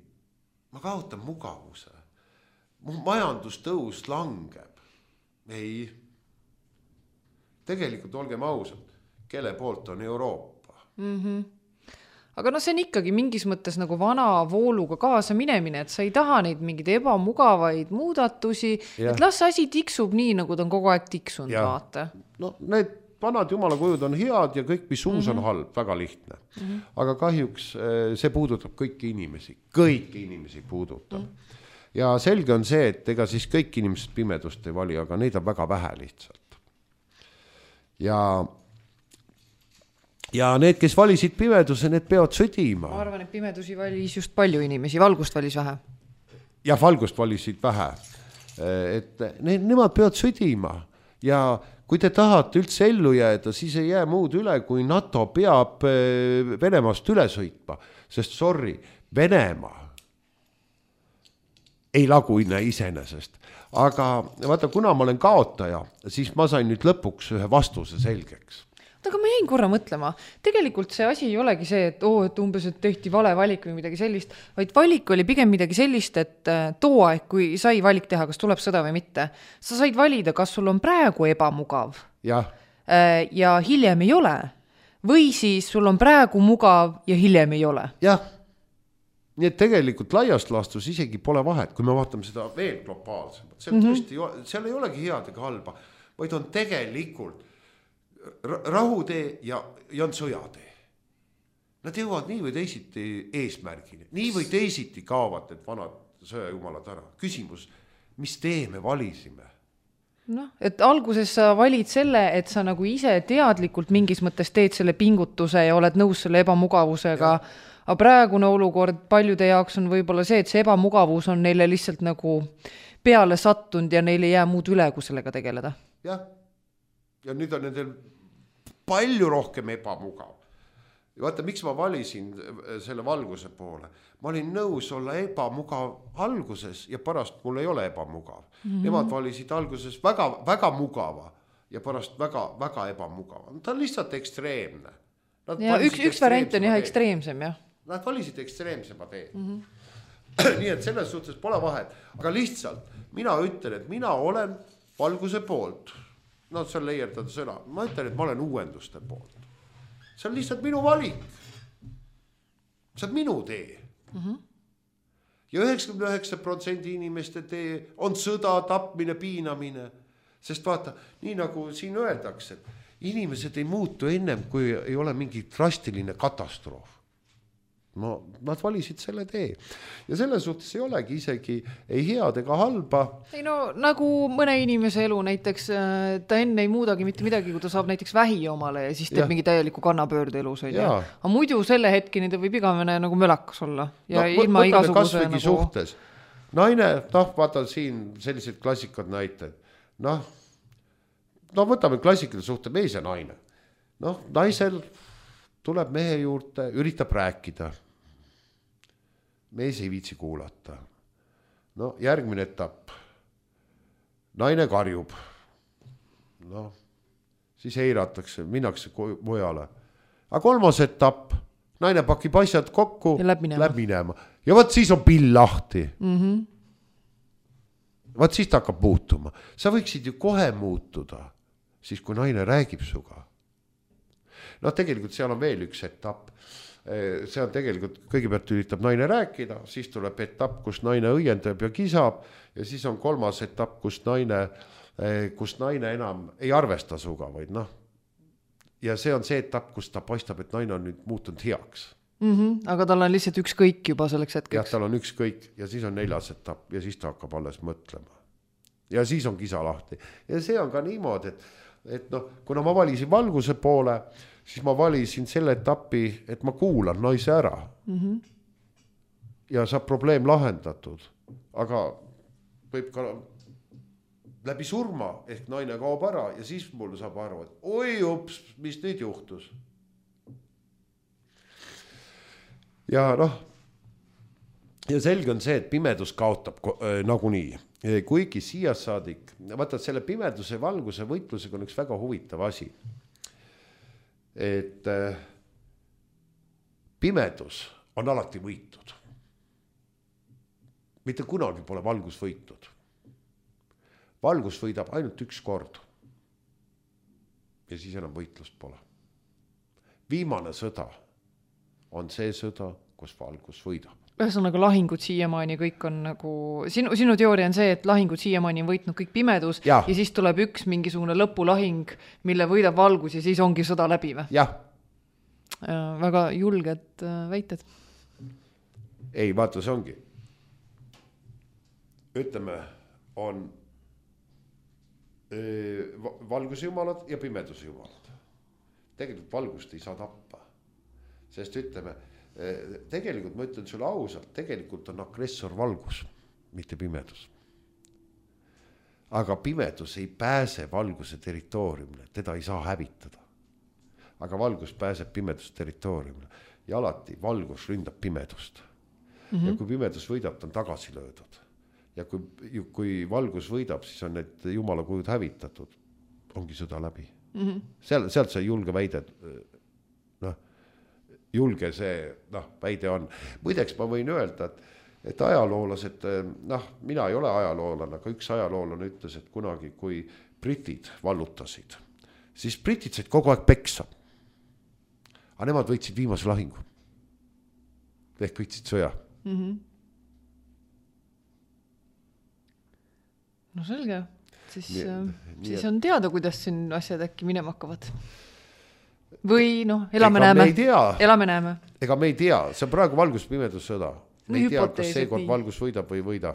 Ma kaotan mugavuse. Mu majandustõus langeb. Ei. Tegelikult olgem ausad, kelle poolt on Euroopa. Mhm. Aga no see on ikkagi mingis mõttes nagu vana vooluga kaasa minemine, et sa ei taha neid mingid ebamugavaid muudatusi, ja. Et las asi tiksub nii, nagu ta on kogu aeg tiksunud, vaata. No need vanad jumala kujud on head ja kõik, mis uus on halb, väga lihtne. Mm-hmm. Aga kahjuks see puudutab kõiki inimesi, kõiki inimesi puudutab. Mm-hmm. Ja selge on see, et ega siis kõik inimesed pimedust ei vali, aga neid on väga vähe lihtsalt. Ja Ja need, kes valisid pimeduse, need peavad sõdima. Ma arvan, et pimedusi valis just palju inimesi, valgust valis vähe. Ja valgust valisid vähe. Et need, nemad peavad sõdima. Ja kui te tahate üldse ellu jääda, siis ei jää muud üle, kui NATO peab Venemaast üle sõitma. Sest sorry, Venemaa ei lagune iseenesest. Aga vaata, kuna ma olen kaotaja, siis ma sain nüüd lõpuks ühe vastuse selgeks. Aga ma jäin korra mõtlema. Tegelikult see asi ei olegi see, et, oo, et umbes et tehti vale valik või midagi sellist, vaid valik oli pigem midagi sellist, et too aeg, kui sai valik teha, kas tuleb sõda või mitte, sa said valida, kas sul on praegu ebamugav ja, ja hiljem ei ole, või siis sul on praegu mugav ja hiljem ei ole. Jah, nii et tegelikult laiast laastus isegi pole vahet, kui me vaatame seda veel globaalsemalt. See on tõesti, mm-hmm. seal ei olegi head ega halba, vaid on tegelikult rahutee ja, ja on sõjatee. Nad jõuavad nii või teisiti eesmärgini. Nii või teisiti kaovad need vanad sõjajumalad ära. Küsimus, mis tee me valisime? No, et alguses sa valid selle, et sa nagu ise teadlikult mingis mõttes teed selle pingutuse ja oled nõus selle ebamugavusega. Ja. Aga praegune olukord paljude jaoks on võib-olla see, et see ebamugavus on neile lihtsalt nagu peale sattunud ja neile ei jää muud üle, kui sellega tegeleda. Jah. Ja nüüd on nendel palju rohkem ebamugav. ja vaata, miks ma valisin selle valguse poole. Ma olin nõus olla ebamugav alguses ja pärast mul ei ole ebamugav. Mm-hmm. Nemad valisid alguses väga, väga mugava ja pärast väga, väga ebamugava. Ta on lihtsalt ekstreemne. Ja üks, üks variant on jah ekstreemsem, jah. Nad valisid ekstreemsema tee. Mm-hmm. Nii et selles suhtes pole vahet. Aga lihtsalt mina ütlen, et mina olen valguse poolt. No see on leiertada sõna. Ma ütlen, et ma olen uuenduste poolt. See on lihtsalt minu valik. See on minu tee. Mm-hmm. Ja üheksakümmend üheksa protsenti inimeste tee on sõda, tapmine, piinamine. Sest vaata, nii nagu siin öeldakse, et inimesed ei muutu ennem, kui ei ole mingi drastiline katastroof. No, nad valisid selle tee. Ja selles suhtes ei olegi isegi ei head ega halba. Ei no, nagu mõne inimese elu näiteks, ta enne ei muudagi mitte midagi, kui ta saab näiteks vähi omale ja siis teeb ja. mingi täieliku kannapöörde elus. Aga muidu selle hetkini ta võib igavene nagu mölakas olla. Ja no, ilma igasuguse nagu... suhtes. Naine, noh, vaata siin sellised klassikad näited. Noh, no võtame klassikade suhte mees ja naine. Noh, naisel tuleb mehe juurde, üritab rääkida. Mees ei viitsi kuulata. No järgmine etapp. Naine karjub. No, siis eiratakse, minnakse mujale. Aga kolmas etapp. Naine pakib asjad kokku, läheb minema. Läheb minema. Ja võt siis on pill lahti. Mm-hmm. Võt siis ta hakkab muutuma. Sa võiksid ju kohe muutuda, siis kui naine räägib suga. No tegelikult seal on veel üks etapp. See on tegelikult, kõigepealt üritab naine rääkida, siis tuleb etapp, kus naine õiendab ja kisab ja siis on kolmas etapp, kus naine, kus naine enam ei arvesta suga, vaid noh. Ja see on see etapp, kus ta paistab, et naine on nüüd muutunud heaks. Mm-hmm. Aga tal on lihtsalt ükskõik juba selleks hetkeks. Ja tal on ükskõik ja siis on neljas etapp ja siis ta hakkab alles mõtlema. Ja siis on kisa lahti. Ja see on ka niimoodi, et et noh, kuna ma valisin valguse poole, siis ma valisin selle etapi, et ma kuulan naise ära. Mm-hmm. Ja saab probleem lahendatud. Aga võib ka läbi surma ehk naine kaob ära ja siis mul saab aru, et oi ups, mis nüüd juhtus. Ja noh, ja selge on see, et pimedus kaotab äh, nagunii. Kuigi siia saadik, vaata, selle pimeduse valguse võitlusega on üks väga huvitav asi. Et äh, pimedus on alati võitud. Mitte kunagi pole valgus võitud. Valgus võidab ainult üks kord. Ja siis enam võitlust pole. Viimane sõda on see sõda, kus valgus võidab. Ühesõnaga lahingud siiamaani kõik on nagu, sinu, sinu teooria on see, et lahingud siiamaani on võitnud kõik pimedus ja, ja siis tuleb üks mingisugune lõpulahing, mille võidab valgus ja siis ongi sõda läbi või? Jah. Väga julged väited. Ei, vaata, see ongi. Ütleme, on valguse jumalad ja pimeduse jumalad. Tegelikult valgust ei saa tappa. Sest ütleme, tegelikult ma ütlen sulle ausalt, tegelikult on agressor valgus, mitte pimedus. Aga pimedus ei pääse valguse territooriumile, teda ei saa hävitada. Aga valgus pääseb pimeduse territooriumile ja alati valgus ründab pimedust. Mm-hmm. Ja kui pimedus võidab, ta on tagasi löödud. Ja kui, kui valgus võidab, siis on need jumala kujud hävitatud, ongi sõda läbi. Mm-hmm. Seal, sealt see julge väide, noh, julge see noh, väide on. Muideks ma võin öelda, et, et ajaloolased, noh, mina ei ole ajaloolane, aga üks ajaloolane ütles, et kunagi, kui britid vallutasid, siis britid said kogu aeg peksa. Aga nemad võitsid viimase lahingu. Ehk võitsid sõja. Mm-hmm. No selge. Siis, nii, siis on teada, kuidas siin asjad äkki minema hakkavad. Või noh, elame ega näeme. Me elame näeme. Ega me ei tea, see on praegu valgus-pimedus sõda. Me no, ei tea, kas seekord valgus võidab või võida.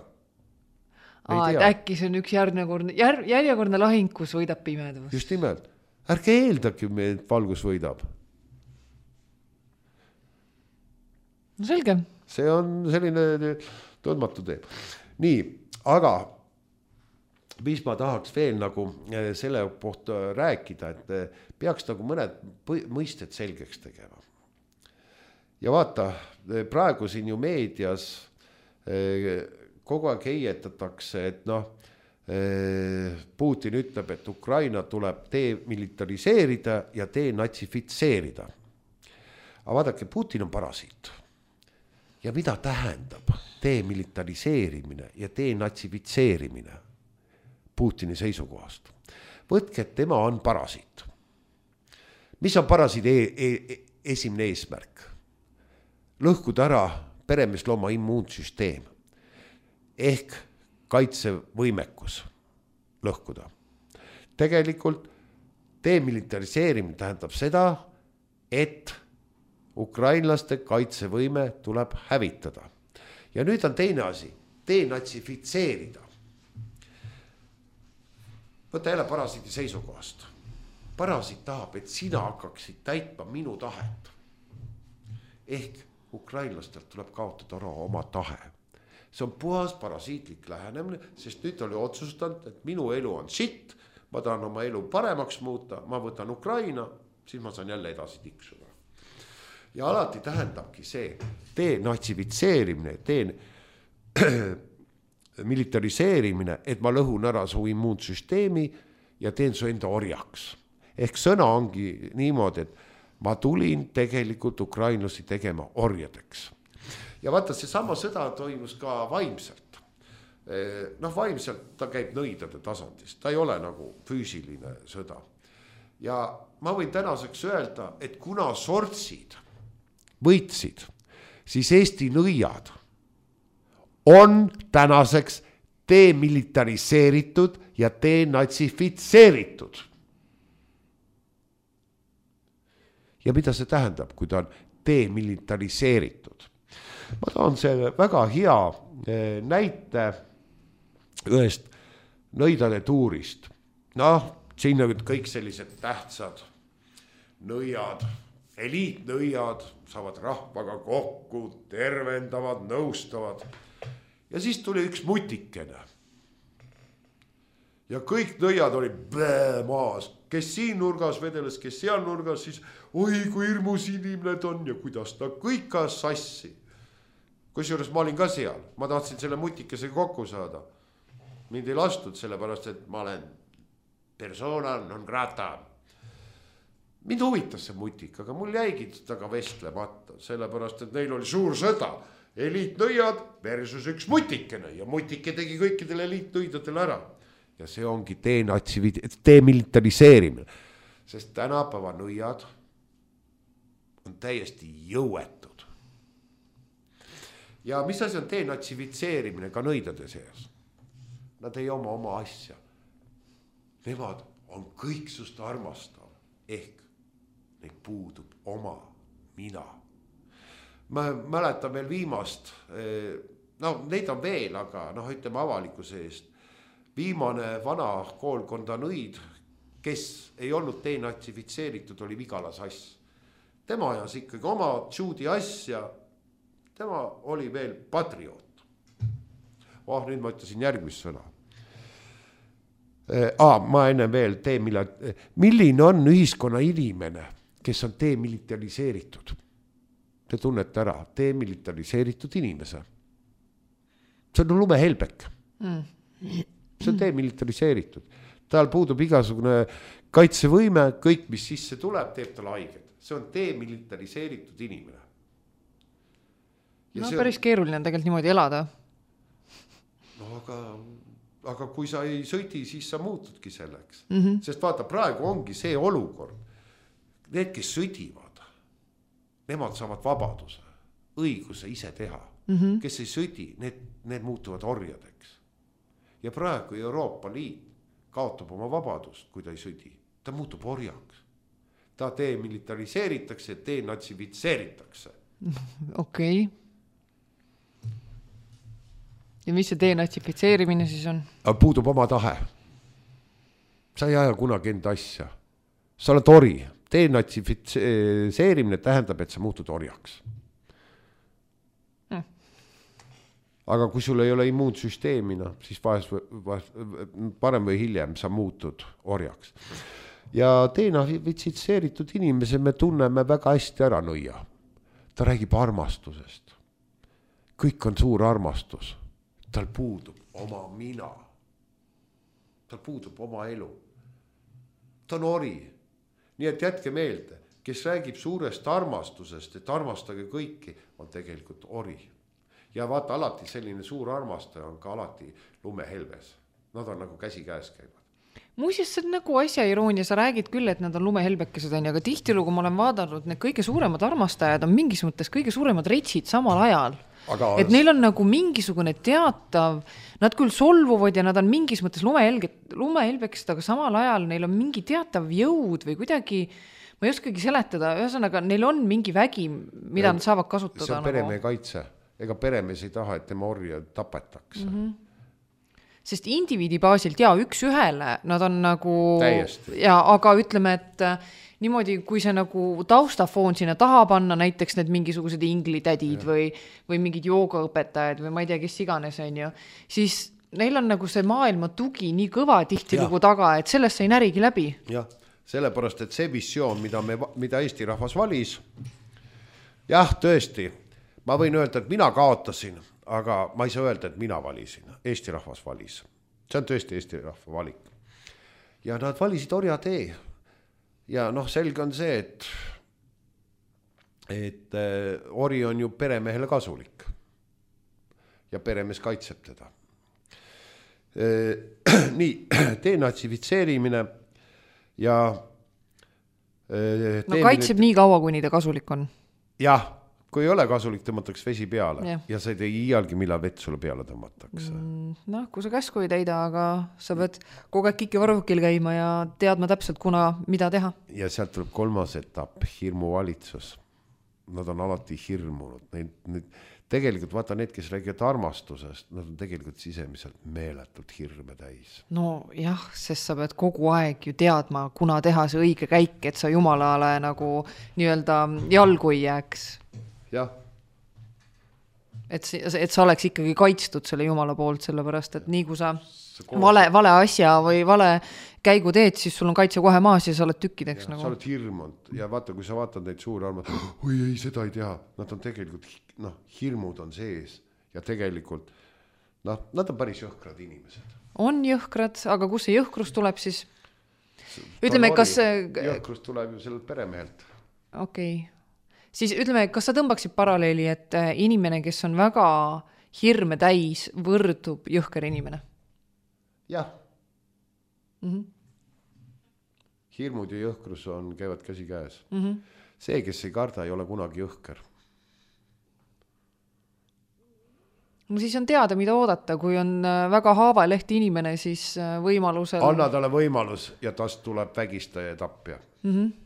Aa, et äkki see on üks järjekordne, jär, järjekordne lahing, kus võidab pimedus. Just nimelt. Ärge eeldagi, et valgus võidab. No selge. See on selline tundmatu teeb. Nii, aga mis ma tahaks veel nagu selle kohta rääkida, et peaks nagu mõned mõisted selgeks tegema. ja vaata, praegu siin ju meedias kogu aeg heietatakse, et noh, Putin ütleb, et Ukraina tuleb demilitariseerida ja denatsifitseerida. Aga vaadake, Putin on parasiit. Ja mida tähendab demilitariseerimine ja denatsifitseerimine Putini seisukohast? Võtke, et tema on parasiit. Mis on parasiidi e e esimene eesmärk? Lõhkuda ära peremeeslooma immuunsüsteem ehk kaitsevõimekus lõhkuda. Tegelikult demilitariseerimine tähendab seda, et ukrainlaste kaitsevõime tuleb hävitada. Ja nüüd on teine asi, denatsifitseerida. Võta jälle parasiidi seisukohast. Parasiit tahab, et sina hakkaksid täitma minu tahet. Ehk ukrainlastelt tuleb kaotada ära oma tahe. See on puhas parasiitlik lähenemine, sest nüüd oli otsustanud, et minu elu on shit, ma tahan oma elu paremaks muuta, ma võtan Ukraina, siis ma saan jälle edasi tiksuda. Ja alati tähendabki see denatsifitseerimine, demilitariseerimine, et ma lõhun ära su immuunsüsteemi ja teen su enda orjaks. Ehk sõna ongi niimoodi, et ma tulin tegelikult ukrainlasi tegema orjadeks. Ja vaata, see sama sõda toimus ka vaimselt. Noh, vaimselt ta käib nõidade tasandist, ta ei ole nagu füüsiline sõda. Ja ma võin tänaseks öelda, et kuna sortsid võitsid, siis Eesti nõiad on tänaseks demilitariseeritud ja denatsifitseeritud. Ja mida see tähendab, kui ta on demilitariseeritud? Ma tahan selle väga hea näite ühest nõidade tuurist. Noh, siin on kõik sellised tähtsad nõiad, eliitnõiad, saavad rahvaga kokku, tervendavad, nõustavad. Ja siis tuli üks mutikene. Ja kõik nõiad oli bää maas, kes siin nurgas vedeles, kes seal nurgas, siis oi kui hirmus inimene on ja kuidas ta kõik ka sassi. Kusjuures ma olin ka seal, ma tahtsin selle mutikese kokku saada. Mind ei lastud sellepärast, et ma olen persona non grata. Mind huvitas see mutik, aga mul jäigi taga vestlemata, sellepärast, et neil oli suur sõda. Eliitnõiad versus üks mutikene ja mutike tegi kõikidele eliitnõidadele ära. Ja see ongi demilitariseerimine, sest tänapäeva nõiad on täiesti jõuetud. Ja mis asi on denatsifitseerimine ka nõidade seas? Nad ei oma oma asja. Nemad on kõik sust armastav, ehk neid puudub oma mina. Ma mäletan veel viimast, no neid on veel, aga noh, ütleme avalikkuse eest. Viimane vana koolkonda nõid, kes ei olnud denatsifitseeritud, oli Vigala Sass. Tema ajas ikkagi oma tšuudi asja, tema oli veel patrioot. Oh, nüüd ma ütlesin järgmist sõna. Ah, ma enne veel teemila, milline on ühiskonna inimene, kes on demilitariseeritud? Te tunnete ära, demilitariseeritud inimese. See on lumehelbek. Mm. See on demilitariseeritud. Tal puudub igasugune kaitsevõime, kõik mis sisse tuleb, teeb tal haiged. See on demilitariseeritud inimene. Ja no päris on... keeruline on tegelikult niimoodi elada. No aga, aga kui sa ei sõidi, siis sa muutudki selleks. Mm-hmm. Sest vaata, praegu ongi see olukord. Need, kes sõdivad, nemad saavad vabaduse, õiguse ise teha. Mm-hmm. Kes ei sõdi, need, need muutuvad orjadeks. Ja praegu Euroopa Liit kaotab oma vabadust, kui ta ei sõdi. Ta muutub orjaks. Ta demilitariseeritakse, denatsifitseeritakse. Okei. Okay. Ja mis see denatsifitseerimine siis on? Puudub oma tahe. Sa ei aja kunagi enda asja. Sa oled ori. Denatsifitseerimine tähendab, et sa muutud orjaks. Mm. Aga kui sul ei ole immuunsüsteemina, siis vahest, vahest, parem või hiljem sa muutud orjaks. Ja denatsifitseeritud inimese me tunneme väga hästi ära nõia. ta räägib armastusest. Kõik on suur armastus. Tal puudub oma mina. Tal puudub oma elu. Ta on ori. Nii et jätke meelde, kes räägib suurest armastusest, et armastage kõiki, on tegelikult ori. Ja vaata, alati selline suur armastaja on ka alati lumehelbes. Nad on nagu käsi käes käivad. Muuseas, see on nagu asja iroonia, sa räägid küll, et nad on lumehelbekesed, aga tihtilugu ma olen vaadanud, need kõige suuremad armastajad on mingis mõttes kõige suuremad retsid samal ajal. Aga... et neil on nagu mingisugune teatav, nad küll solvuvad ja nad on mingis mõttes lumehelbekesed, aga samal ajal neil on mingi teatav jõud või kuidagi, ma ei oskagi seletada, ühesõnaga neil on mingi vägi, mida ja, nad saavad kasutada. See on peremehe nagu... kaitse, ega peremees ei taha, et tema orja tapetakse. Mm-hmm. Sest indiviidi baasilt, jaa, üks ühele, nad on nagu, täiesti. Ja, aga ütleme, et niimoodi, kui see nagu taustafoon sinna taha panna, näiteks need mingisugused inglitädid ja. või, või mingid joogaõpetajad või ma ei tea, kes iganes on ju, siis neil on nagu see maailma tugi nii kõva tihtilugu taga, et sellest sai närigi läbi. Jah, sellepärast, et see visioon, mida, me, mida Eesti rahvas valis, jah, tõesti, ma võin öelda, et mina kaotasin, aga ma ei saa öelda, et mina valisin. Eesti rahvas valis. See on tõesti Eesti rahva valik. Ja nad valisid orja tee. Ja noh, selge on see, et, et äh, ori on ju peremehele kasulik. Ja peremees kaitseb teda. Äh, nii, denatsifitseerimine ja äh, no kaitseb nüüd... nii kaua, kuni ta kasulik on. Jah, kui ei ole kasulik, tõmmataks vesi peale ja, ja sa ei tee iialgi, millal vett sulle peale tõmmatakse. Mm, noh, kui sa käsku ei täida, aga sa pead kogu aeg kiki varvukil käima ja teadma täpselt, kuna mida teha. Ja sealt tuleb kolmas etapp, hirmuvalitsus. Nad on alati hirmunud. Neid, neid, tegelikult vaata need, kes räägivad armastusest, nad on tegelikult sisemiselt meeletult hirme täis. No jah, sest sa pead kogu aeg ju teadma, kuna teha see õige käik, et sa jumalale nagu nii-öelda jalgu ei jääks. Jah. Et, et sa oleks ikkagi kaitstud selle jumala poolt, sellepärast, et nii kui sa vale, vale asja või vale käigu teed, siis sul on kaitse kohe maas ja sa oled tükkideks. Ja, nagu. Sa oled hirmunud ja vaata, kui sa vaatad neid suuri armad, oi ei, seda ei tea. Nad on tegelikult, noh, hirmud on sees ja tegelikult, noh, nad on päris jõhkrad inimesed. On jõhkrad, aga kus see jõhkrus tuleb siis? Ütleme, kas... Jõhkrus tuleb ju sellelt peremehelt. Okei. Okay. Siis ütleme, kas sa tõmbaksid paralleeli, et inimene, kes on väga hirme täis, võrdub jõhker inimene? Jah. Mm-hmm. Hirmud ja jõhkrus on, käivad käsi käes. Mm-hmm. See, kes ei karda, ei ole kunagi jõhker. No siis on teada, mida oodata. Kui on väga haavalehti inimene, siis võimalusel... Anna talle võimalus ja tast tuleb vägistaja ja tapja. Mm-hmm.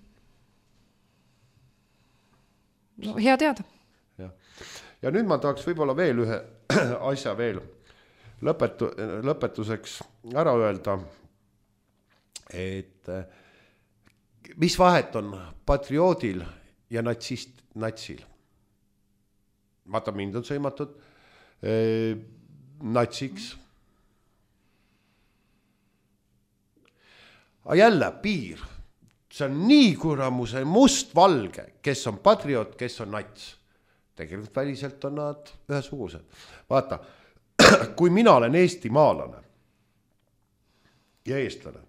No, hea teada. Ja. ja nüüd ma tahaks võib-olla veel ühe asja veel lõpetu, lõpetuseks ära öelda, et mis vahet on patrioodil ja natsist, natsil. Vaata, mind on sõimatud eh, natsiks. Aga jälle piir. See on nii kuramuse must-valge, kes on patriot, kes on nats. Tegelikult väliselt on nad ühesugused. Vaata, kui mina olen Eesti maalane ja eestlane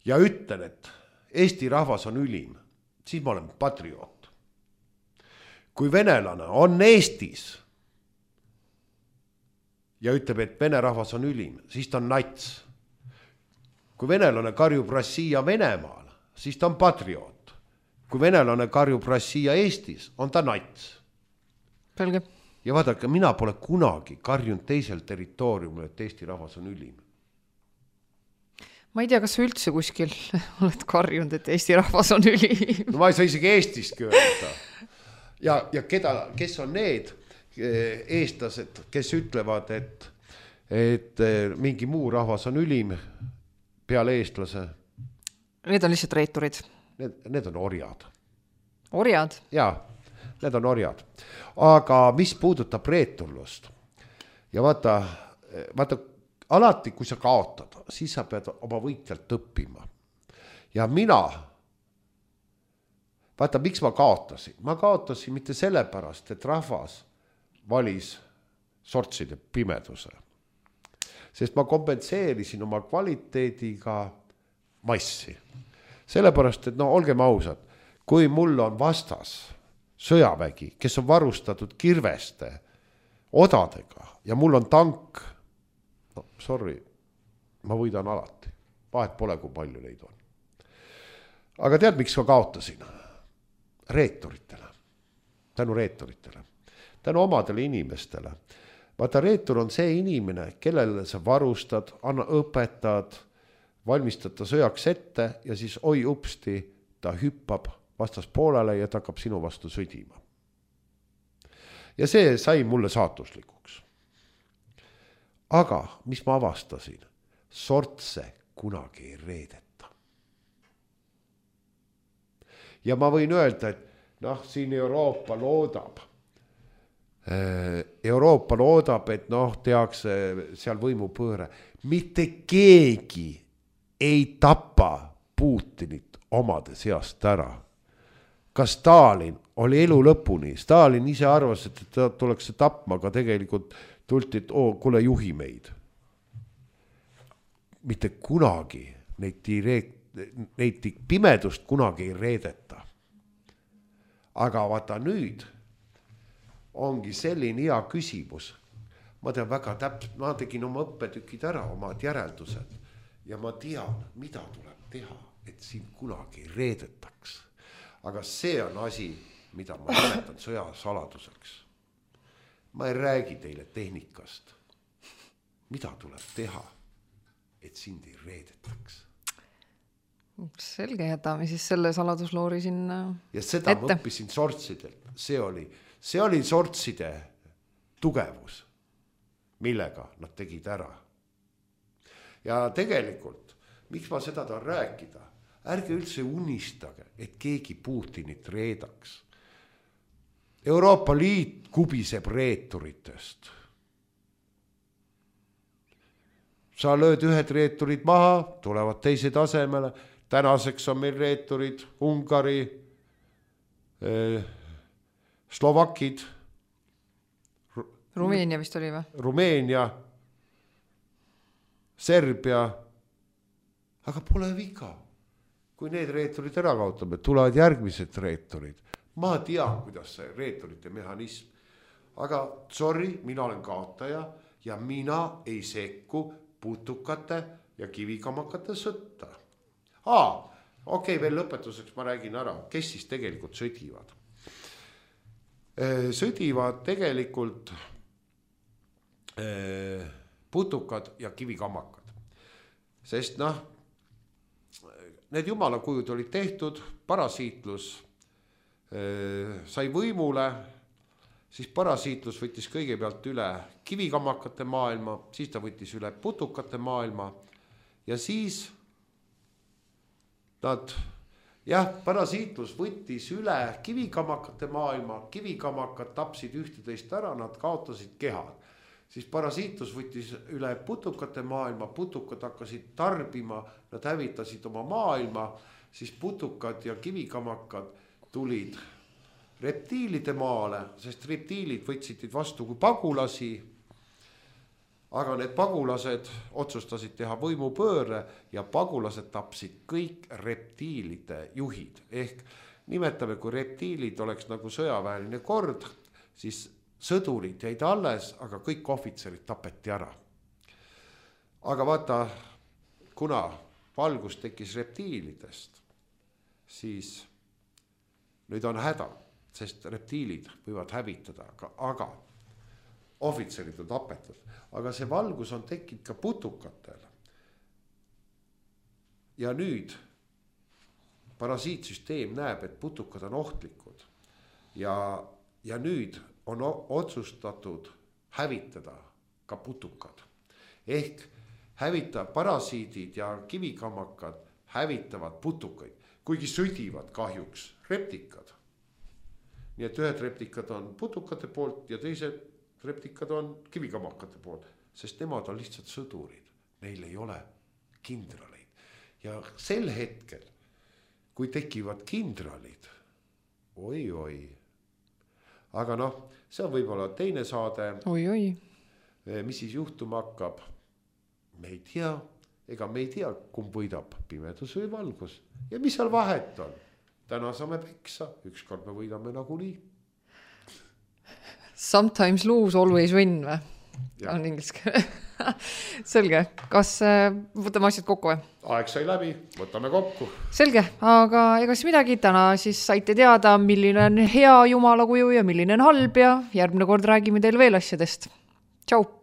ja ütlen, et Eesti rahvas on ülim, siis ma olen patriot. Kui venelane on Eestis ja ütleb, et vene rahvas on ülim, siis ta on nats. Kui venelane karjub Rossija Venemaal, siis ta on patrioot. Kui venelane karjub Rossija Eestis, on ta nats. Selge. Ja vaadake, mina pole kunagi karjunud teisel territooriumil, et Eesti rahvas on ülim. Ma ei tea, kas sa üldse kuskil oled karjunud, et Eesti rahvas on ülim. No ma ei saa isegi Eestist öelda. Ja, ja keda, kes on need eestlased, kes ütlevad, et, et mingi muu rahvas on ülim peale eestlase? Need on lihtsalt reeturid. Need, need on orjad. Orjad? Jaa, need on orjad. Aga mis puudutab reeturlust? Ja vaata, vaata, alati kui sa kaotad, siis sa pead oma võitjalt õppima. Ja mina vaata, miks ma kaotasin? Ma kaotasin mitte sellepärast, et rahvas valis sortside pimeduse. Sest ma kompenseerisin oma kvaliteediga massi. Sellepärast, et no olgem ausad, kui mul on vastas sõjavägi, kes on varustatud kirveste, odadega ja mul on tank, no sorry, ma võidan alati. Vahet pole, kui palju neid on. Aga tead, miks ma kaotasin? Reeturitele. Tänu reeturitele. Tänu omadele inimestele. Vaata, reetur on see inimene, kellele sa varustad, anna õpetad, valmistad ta sõjaks ette ja siis oi upsti ta hüppab vastas poolele ja ta hakkab sinu vastu sõdima. Ja see sai mulle saatuslikuks. Aga mis ma avastasin? Sortse kunagi ei reedeta. Ja ma võin öelda, et noh, siin Euroopa loodab. Euroopa loodab, et noh, tehakse seal võimupööre. Mitte keegi ei tapa Putinit omade seast ära. Ka Stalin oli elu lõpuni. Stalin ise arvas, et ta tuleks tapma, aga tegelikult tulti, et oo, kuule juhi meid. Mitte kunagi neid, direkt, neid pimedust kunagi ei reedeta. Aga vaata nüüd ongi selline hea küsimus. Ma tean väga täpselt, ma tegin oma õppetükid ära, omad järeldused ja ma tean, mida tuleb teha, et siin kunagi ei reedetaks. Aga see on asi, mida ma nimetan sõjasaladuseks. Ma ei räägi teile tehnikast. Mida tuleb teha, et sind ei reedetaks? Selge, jätame siis selle saladusloori sinna ja seda ette. Ma õppisin sortsidelt. See oli, see oli sortside tugevus, millega nad tegid ära. Ja tegelikult, miks ma seda tahan rääkida? Ärge üldse unistage, et keegi Putinit reedaks. Euroopa Liit kubiseb reeturitest. Sa lööd ühed reeturid maha, tulevad teised asemele. Tänaseks on meil reeturid Ungari, eh, Slovakid, Rumeenia vist oli või? Rumeenia, Serbia. Aga pole viga. Kui need reeturid ära kaotame, tulevad järgmised reeturid. Ma tean, kuidas see reeturite mehhanism. Aga sorry, mina olen kaotaja ja mina ei sekku putukate ja kivikamakate sõtta. Aa, okei, okay, veel lõpetuseks ma räägin ära, kes siis tegelikult sõdivad. Sõdivad tegelikult putukad ja kivikamakad. Sest noh, need jumalakujud olid tehtud, parasiitlus sai võimule, siis parasiitlus võttis kõigepealt üle kivikamakate maailma, siis ta võttis üle putukate maailma ja siis nad, jah, parasiitlus võttis üle kivikamakate maailma, kivikamakad tapsid ühteteist ära, nad kaotasid kehad. Siis parasiitlus võttis üle putukate maailma, putukad hakkasid tarbima, nad hävitasid oma maailma, siis putukad ja kivikamakad tulid reptiilide maale, sest reptiilid võtsid vastu kui pagulasi, aga need pagulased otsustasid teha võimupööre ja pagulased tapsid kõik reptiilide juhid. Ehk nimetame, kui reptiilid oleks nagu sõjaväeline kord, siis sõdurid jäid alles, aga kõik ohvitserid tapeti ära. Aga vaata, kuna valgus tekkis reptiilidest, siis nüüd on häda, sest reptiilid võivad hävitada, aga, aga ohvitserid on tapetud. Aga see valgus on tekkinud ka putukatel. Ja nüüd parasiitsüsteem näeb, et putukad on ohtlikud. Ja, ja nüüd on otsustatud hävitada ka putukad. Ehk hävita parasiidid ja kivikamakad hävitavad putukaid, kuigi sõdivad kahjuks reptikad. Nii et ühed reptikad on putukate poolt ja teised reptikad on kivikamakate poolt, sest nemad on lihtsalt sõdurid. Neil ei ole kindraleid. Ja sel hetkel, kui tekivad kindralid, oi-oi. Aga noh, see on võib-olla teine saade. Oi-oi. Mis siis juhtuma hakkab? Me ei tea, ega me ei tea, kumb võidab, pimedus või valgus. Ja mis seal vahet on? Täna saame peksa, ükskord me võidame nagu nii. Sometimes lose, always win või? Ja. On ingliskeele. Selge, kas võtame asjad kokku või? Aeg sai läbi, võtame kokku. Selge, aga ega siis midagi, täna siis saite teada, milline on hea jumala kuju ja milline on halb ja järgmine kord räägime teile veel asjadest. Tšau!